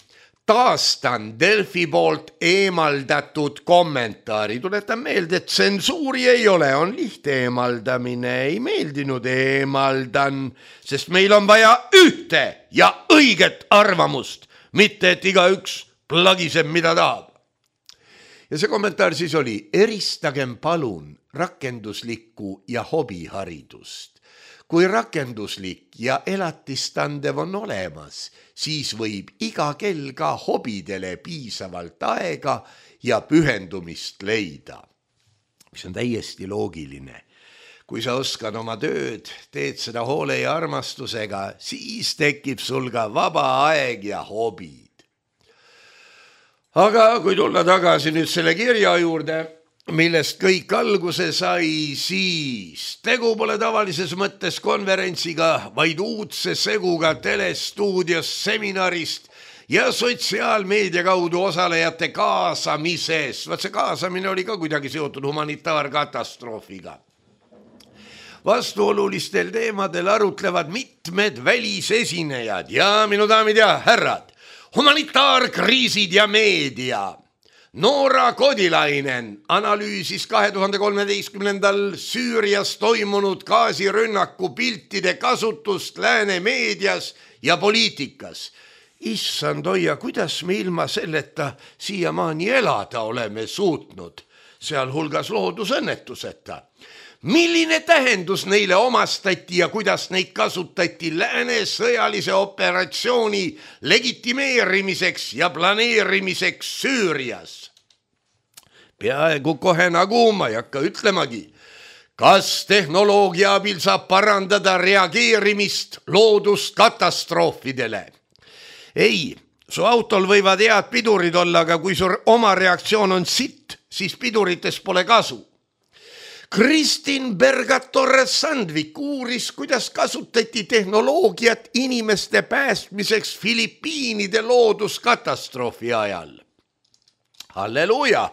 C: Taastan Delfi poolt eemaldatud kommentaari. Tuletan meelde, et tsensuuri ei ole, on lihtne eemaldamine. Ei meeldinud eemaldan, sest meil on vaja ühte ja õiget arvamust, mitte et igaüks plagiseb, mida tahab. Ja see kommentaar siis oli, eristagem palun rakenduslikku ja hobiharidust. Kui rakenduslik ja elatistandev on olemas, siis võib iga kell ka hobidele piisavalt aega ja pühendumist leida. Mis on täiesti loogiline. Kui sa oskad oma tööd, teed seda hoole ja armastusega, siis tekib sul ka vaba aeg ja hobid. Aga kui tulla tagasi nüüd selle kirja juurde, millest kõik alguse sai, siis tegu pole tavalises mõttes konverentsiga, vaid uudse seguga telestuudios seminarist ja sotsiaalmeedia kaudu osalejate kaasamises. Vaat see kaasamine oli ka kuidagi seotud humanitaarkatastroofiga. Vastuolulistel teemadel arutlevad mitmed välisesinejad ja minu daamid ja härrad, humanitaarkriisid ja meedia. Noora Kodilainen analüüsis 2013. Süürias toimunud gaasirünnaku piltide kasutust lääne meedias ja poliitikas. Issand hoia, kuidas me ilma selleta siiamaani elada oleme suutnud, sealhulgas loodusõnnetuseta. Milline tähendus neile omastati ja kuidas neid kasutati lääne sõjalise operatsiooni legitimeerimiseks ja planeerimiseks Süürias? Peaaegu kohe nagu ma ei hakka ütlemagi, kas tehnoloogia abil saab parandada reageerimist looduskatastroofidele. Ei, su autol võivad head pidurid olla, aga kui su oma reaktsioon on sitt, siis pidurites pole kasu. Kristin Berga-Torres-Sandvik uuris, kuidas kasutati tehnoloogiat inimeste päästmiseks Filipiinide looduskatastroofi ajal. Halleluuja!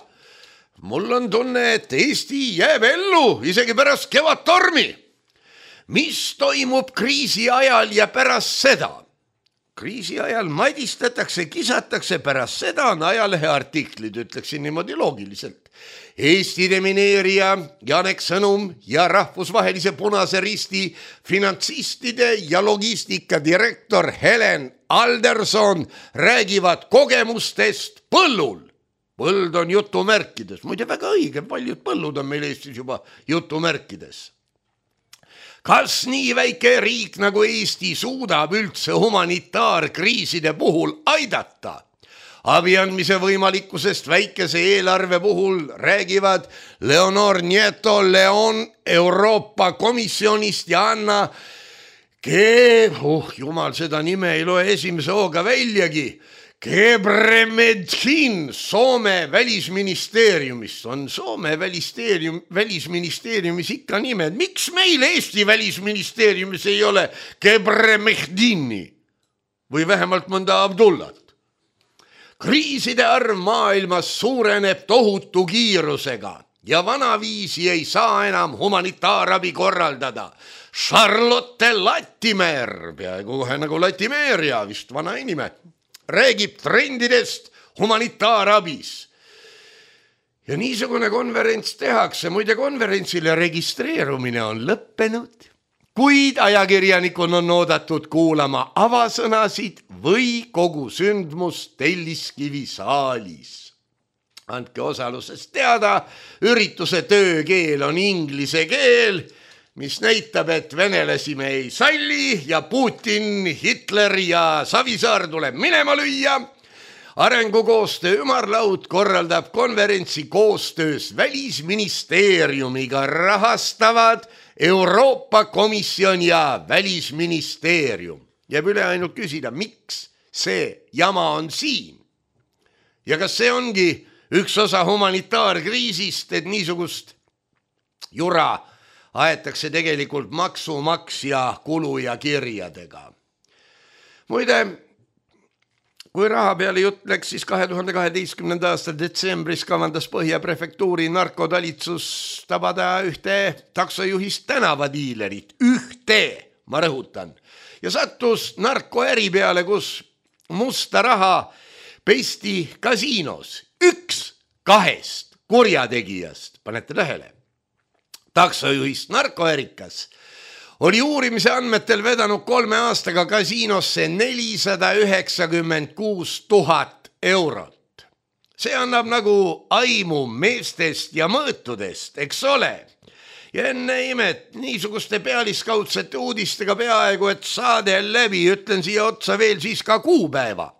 C: Mul on tunne, et Eesti jääb ellu isegi pärast kevadtormi. Mis toimub kriisi ajal ja pärast seda? Kriisi ajal madistatakse, kisatakse, pärast seda on ajalehe artiklid, ütleksin niimoodi loogiliselt. Eesti demineerija Janek Sõnum ja rahvusvahelise Punase Risti finantsistide ja logistika direktor Helen Alderson räägivad kogemustest põllul. Põld on jutumärkides, muide väga õige, paljud põllud on meil Eestis juba jutumärkides. Kas nii väike riik nagu Eesti suudab üldse humanitaarkriiside puhul aidata? Abi andmise võimalikkusest väikese eelarve puhul räägivad Leonor Nieto Leon Euroopa Komisjonist ja Anna jumal, seda nime ei loe esimese hooga väljagi. Gebremedhin Soome välisministeeriumist. On Soome välisministeeriumis ikka nimed. Miks meil Eesti välisministeeriumis ei ole Gebremedhini? või vähemalt mõnda Abdullat. Kriiside arv maailmas suureneb tohutu kiirusega ja vanaviisi ei saa enam humanitaarabi korraldada. Charlotte Latimer, peaaegu kohe nagu Latimeeria, vist vana inime, räägib trendidest humanitaarabis. Ja niisugune konverents tehakse, muide konverentsile registreerumine on lõppenud, kuid ajakirjanikul on oodatud kuulama avasõnasid või kogu sündmust Telliskivi saalis. Andke osalusest teada, ürituse töökeel on inglise keel, mis näitab, et venelasi me ei salli ja Putin, Hitler ja Savisaar tuleb minema lüüa. Arengukoostöö ümarlaud korraldab konverentsi koostöös Välisministeeriumiga, rahastavad Euroopa Komisjon ja Välisministeerium. Jääb üle ainult küsida, miks see jama on siin? Ja kas see ongi üks osa humanitaarkriisist, et niisugust jura aetakse tegelikult maksumaksja kulu ja kirjadega? Muide, kui raha peale jutt läks, siis 2012. aasta detsembris kavandas Põhja prefektuuri narkotalitsus tabada ühte taksojuhist tänavadiilerit. Ühte, ma rõhutan. Ja sattus narkoäri peale, kus musta raha pesti kasiinos. 1-2 kurjategijast, panete tähele. Taksojuhist narkoärikas oli uurimise andmetel vedanud 3 aastaga kasiinosse 496 000 eurot. See annab nagu aimu meestest ja mõõtudest, eks ole? Ja enne imet niisuguste pealiskaudsete uudistega peaaegu, et saade läbi, ütlen siia otsa veel siis ka kuupäeva.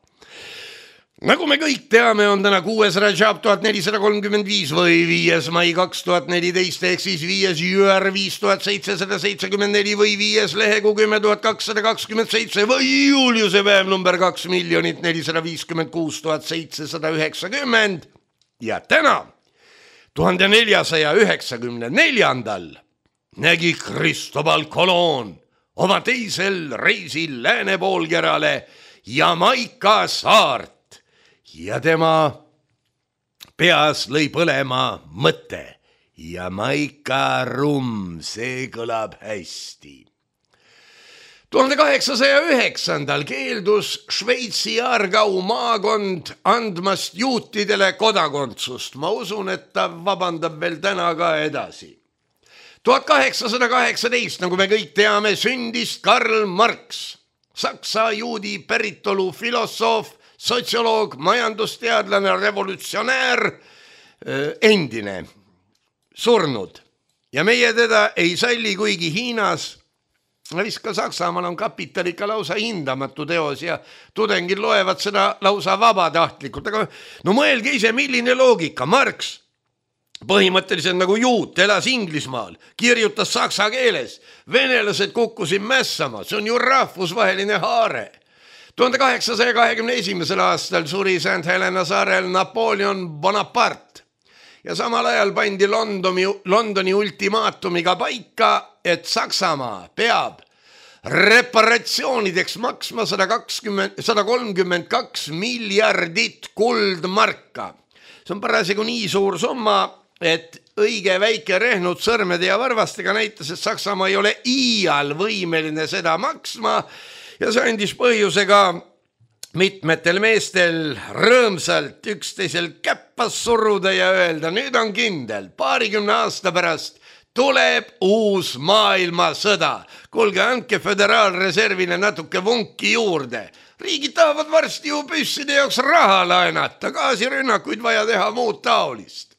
C: Nagu me kõik teame, on täna 6. Rajab 1435 või 5. mai 2014 ehk siis 5. jüär 5774 või 5. lehekuu 10227 või Juliuse päev number 2 456 790 ja täna 1494 nägi Cristobal Colon oma teisel reisil lääne poolkerale Jamaica saart. Ja tema peas lõi põlema mõte. Jamaica rum, see kõlab hästi. 1809. keeldus Šveitsi Aargau maakond andmast juutidele kodakondsust. Ma usun, et ta vabandab veel täna ka edasi. 1818, nagu me kõik teame, sündis Karl Marx, saksa juudi päritolu filosoof, sotsioloog, majandusteadlane, revolutsionäär, endine, surnud. Ja meie teda ei salli, kuigi Hiinas, vist ka Saksamaal on Kapital ikka lausa hindamatu teos ja tudengid loevad seda lausa vabatahtlikult. Aga no mõelge ise, milline loogika. Marx, põhimõtteliselt nagu juut, elas Inglismaal, kirjutas saksa keeles. Venelased kukkusid mässama, see on ju rahvusvaheline haare. 1821. aastal suri St. Helena saarel Napoleon Bonaparte ja samal ajal pandi Londoni ultimaatumiga paika, et Saksamaa peab reparatsioonideks maksma 132 miljardit kuldmarka. See on parasjagu nii suur summa, et õige väike rehnud sõrmede ja varvastega näitas, et Saksamaa ei ole iial võimeline seda maksma. Ja see andis põhjusega mitmetel meestel rõõmsalt üksteisel käppas suruda ja öelda, nüüd on kindel, 20 aasta pärast tuleb uus maailmasõda. Kuulge, andke föderaalreservile natuke vunki juurde. Riigid tahavad varsti ju püsside jaoks raha laenata, gaasirünnakuid vaja teha muud taolist.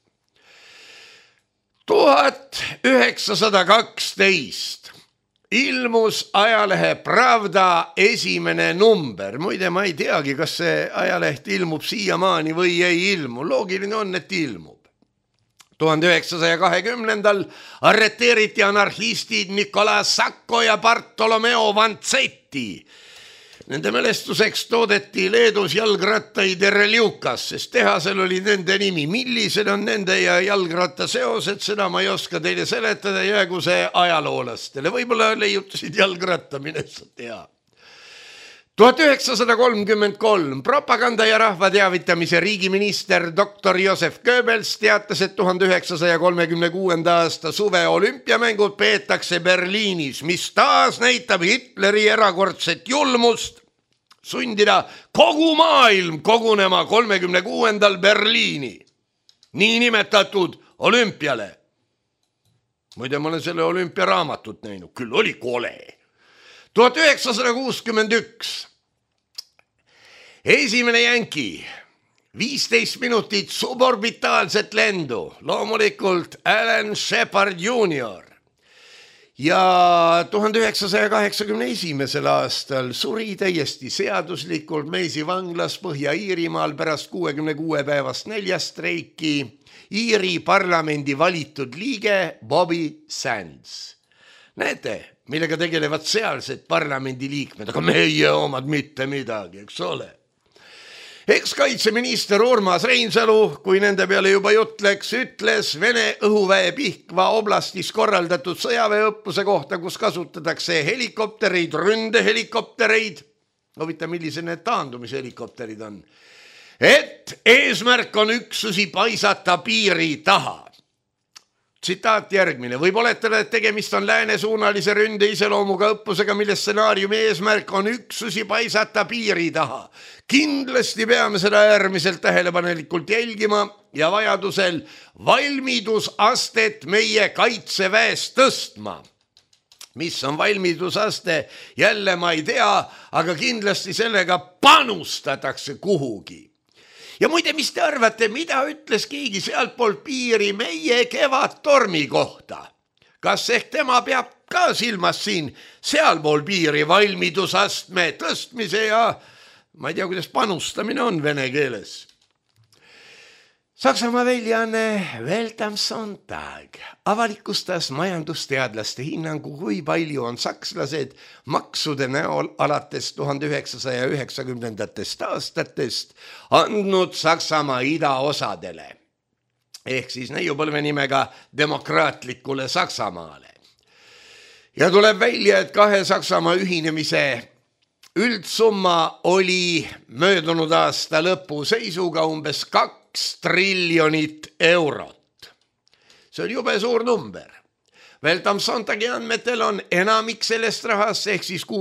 C: 1912 ilmus ajalehe Pravda esimene number. Muide, ma ei teagi, kas see ajaleht ilmub siiamaani või ei ilmu. Loogiline on, et ilmub. 1920. arreteeriti anarhistid Nicolas Sacco ja Bartolomeo Vanzetti. Nende mälestuseks toodeti Leedus jalgrattaid Ereliukas, sest tehasel oli nende nimi. Millised on nende ja jalgratta seosed, seda ma ei oska teile seletada, jäägu see ajaloolastele. Võib-olla leiutasid jalgratta, mine sa tea. 1933 propaganda ja rahva teavitamise riigiminister doktor Josef Goebbels teatas, et 1936. aasta suve olümpiamängud peetakse Berliinis, mis taas näitab Hitleri erakordset julmust sundida kogu maailm kogunema 36. Berliini, niinimetatud olümpiale. Muide, ma olen selle olümpiaraamatut näinud, küll oli kole. 1961. Esimene jänki, 15 minutit suborbitaalset lendu, loomulikult Alan Shepard Jr. Ja 1981. aastal suri täiesti seaduslikult Meisi vanglas Põhja-Iirimaal pärast 66 päevast näljastreiki Iiri parlamendi valitud liige Bobby Sands. Näete, millega tegelevad sealsed parlamendiliikmed, aga meie omad mitte midagi, eks ole. Eks kaitseminister Urmas Reinsalu, kui nende peale juba jutt läks, ütles Vene õhuväe Pihkva oblastis korraldatud sõjaväeõppuse kohta, kus kasutatakse helikoptereid, ründehelikoptereid. Huvitav, millised need taandumishelikopterid on. Et eesmärk on üksusi paisata piiri taha. Tsitaat järgmine. Võib oletada, et tegemist on läänesuunalise ründe iseloomuga õppusega, mille stsenaariumi eesmärk on üksusi paisata piiri taha. Kindlasti peame seda äärmiselt tähelepanelikult jälgima ja vajadusel valmidusastet meie kaitseväes tõstma. Mis on valmidusaste? Jälle ma ei tea, aga kindlasti sellega panustatakse kuhugi. Ja muide, mis te arvate, mida ütles keegi sealtpoolt piiri meie Kevadtormi kohta? Kas ehk tema peab ka silmas siin sealpool piiri valmidusastme tõstmise ja ma ei tea, kuidas panustamine on vene keeles. Saksamaa väljaanne Welt am Sonntag avalikustas majandusteadlaste hinnangu, kui palju on sakslased maksude näol alates 1990. aastatest andnud Saksamaa idaosadele. Ehk siis neiupõlve nimega demokraatlikule Saksamaale. Ja tuleb välja, et kahe Saksamaa ühinemise üldsumma oli möödunud aasta lõpu seisuga umbes 2 triljonit eurot. See on jube suur number. Welt am Sonntagi andmetel on enamik sellest rahast ehk siis 60–65%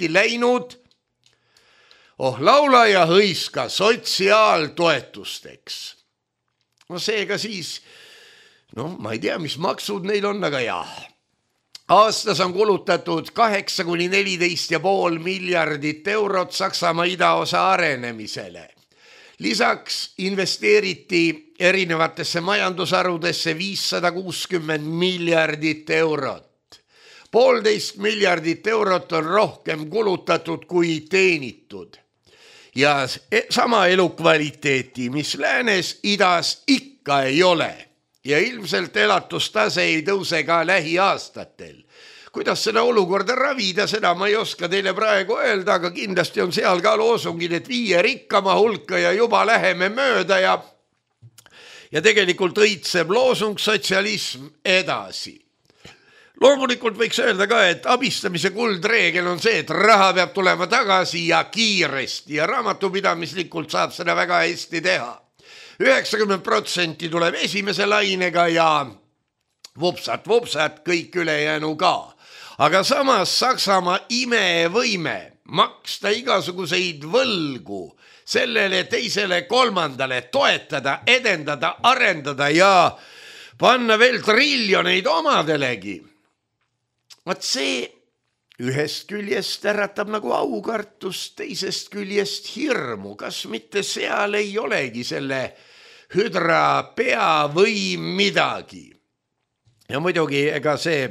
C: läinud laula ja hõiska sotsiaaltoetusteks. No seega siis, ma ei tea, mis maksud neil on, aga jah. Aastas on kulutatud 8–14,5 miljardit eurot Saksamaa idaosa arenemisele. Lisaks investeeriti erinevatesse majandusharudesse 560 miljardit eurot. 1,5 miljardit eurot on rohkem kulutatud kui teenitud. Ja sama elukvaliteeti, mis läänes, idas ikka ei ole. Ja ilmselt elatustase ei tõuse ka lähiaastatel. Kuidas seda olukorda ravida, seda ma ei oska teile praegu öelda, aga kindlasti on seal ka loosungid, et 5 rikkama hulka ja juba läheme mööda ja tegelikult õitseb loosung sotsialism edasi. Loomulikult võiks öelda ka, et abistamise kuldreegel on see, et raha peab tulema tagasi ja kiiresti ja raamatupidamislikult saab seda väga hästi teha. 90% tuleb esimese lainega ja vupsat, kõik ülejäänu ka. Aga samas Saksamaa imevõime maksta igasuguseid võlgu sellele teisele kolmandale, toetada, edendada, arendada ja panna veel triljoneid omadelegi. Vaat see ühest küljest äratab nagu aukartust, teisest küljest hirmu. Kas mitte seal ei olegi selle hüdra pea või midagi? Ja muidugi ega see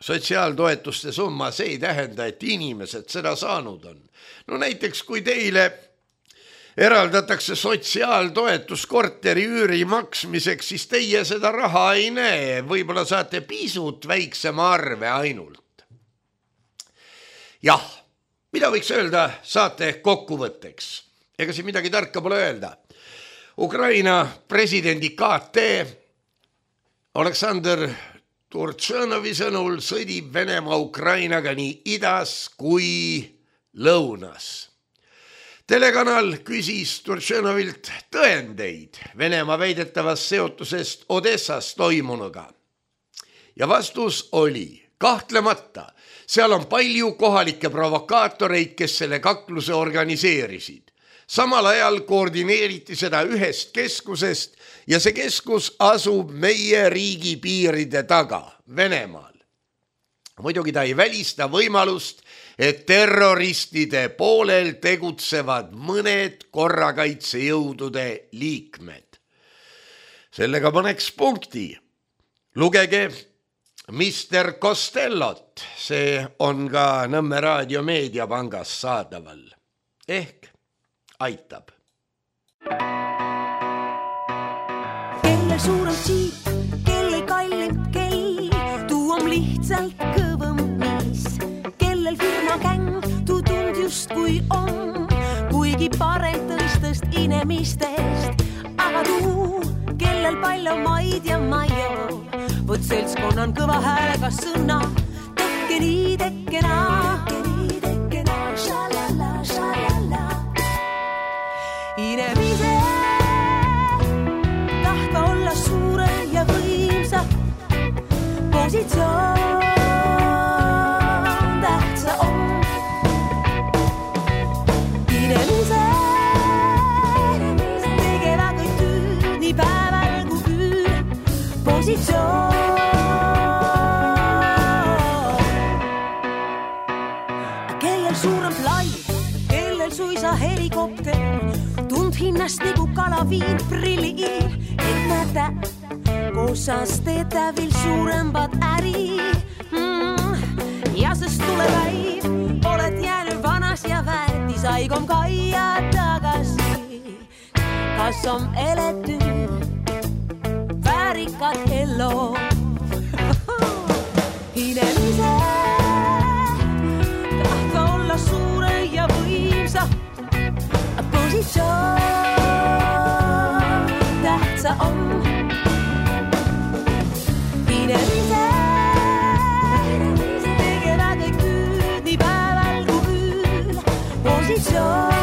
C: sotsiaaltoetuste summa, see ei tähenda, et inimesed seda saanud on. No näiteks, kui teile eraldatakse sotsiaaltoetus korteri üüri maksmiseks, siis teie seda raha ei näe. Võib-olla saate pisut väiksema arve ainult. Jah, mida võiks öelda saate kokkuvõtteks? Ega siin midagi tarka pole öelda. Ukraina presidendi KT Oleksandr Turtšõnovi sõnul sõdib Venemaa Ukrainaga nii idas kui lõunas. Telekanal küsis Turtšõnovilt tõendeid Venemaa väidetavast seotusest Odessas toimunuga. Ja vastus oli kahtlemata, seal on palju kohalikke provokaatoreid, kes selle kakluse organiseerisid. Samal ajal koordineeriti seda ühest keskusest ja see keskus asub meie riigi piiride taga, Venemaal. Muidugi ta ei välista võimalust, et terroristide poolel tegutsevad mõned korrakaitsejõudude liikmed. Sellega paneks punkti. Lugege Mr. Costellot, see on ka Nõmme Raadio Meediapangas saadaval. Ehk aitab.
D: Kelle suurem siip, kelle kallim kell, tuu on lihtsalt kõvem mees. Kellel firma käng, tuu tund just kui on, kuigi parem tõstest inimestest. Aga tuu, kellel palju maid ja maio, võt seltskonna on kõva häälega sõna. Tekke nii, tekke naa, šalala, šalala. Inimese tahta olla suure ja võimsa, positsioon tähtsa on. Inimese tegeva kõik tüüd nii päeval kui üür, positsioon. Kellel suurem plai, kellel suisa helikopter, tund hinnast nagu kalaviin prilliin, et näete, koosas teete veel suuremad äri. Ja sest tule päiv, oled jäänud vanas ja väetis, aigom kaia tagasi. Kas on elety väärikad elu? Inimese tahta olla suure ja võimsa, positsioon tähtsa on. Inimese tegeva kõik tüüd nii päeval kui üür, positsioon.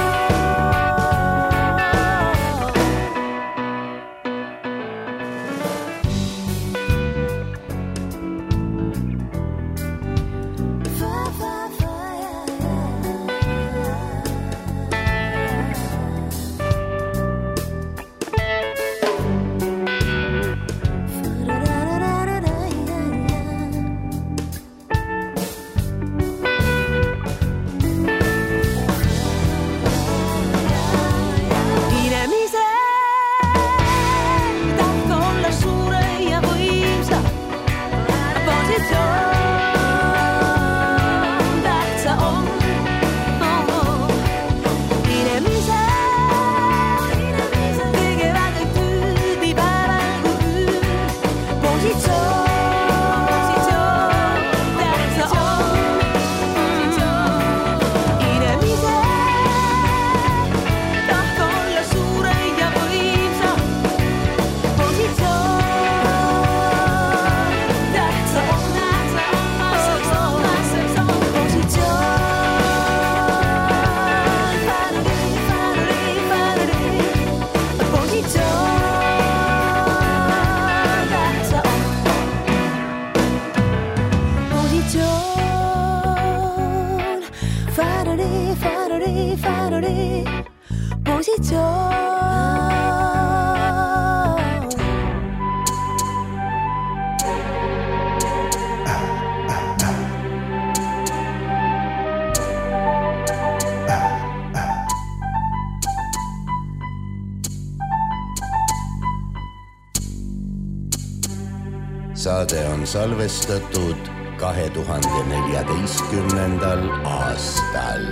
C: Saade on salvestatud 2014. aastal.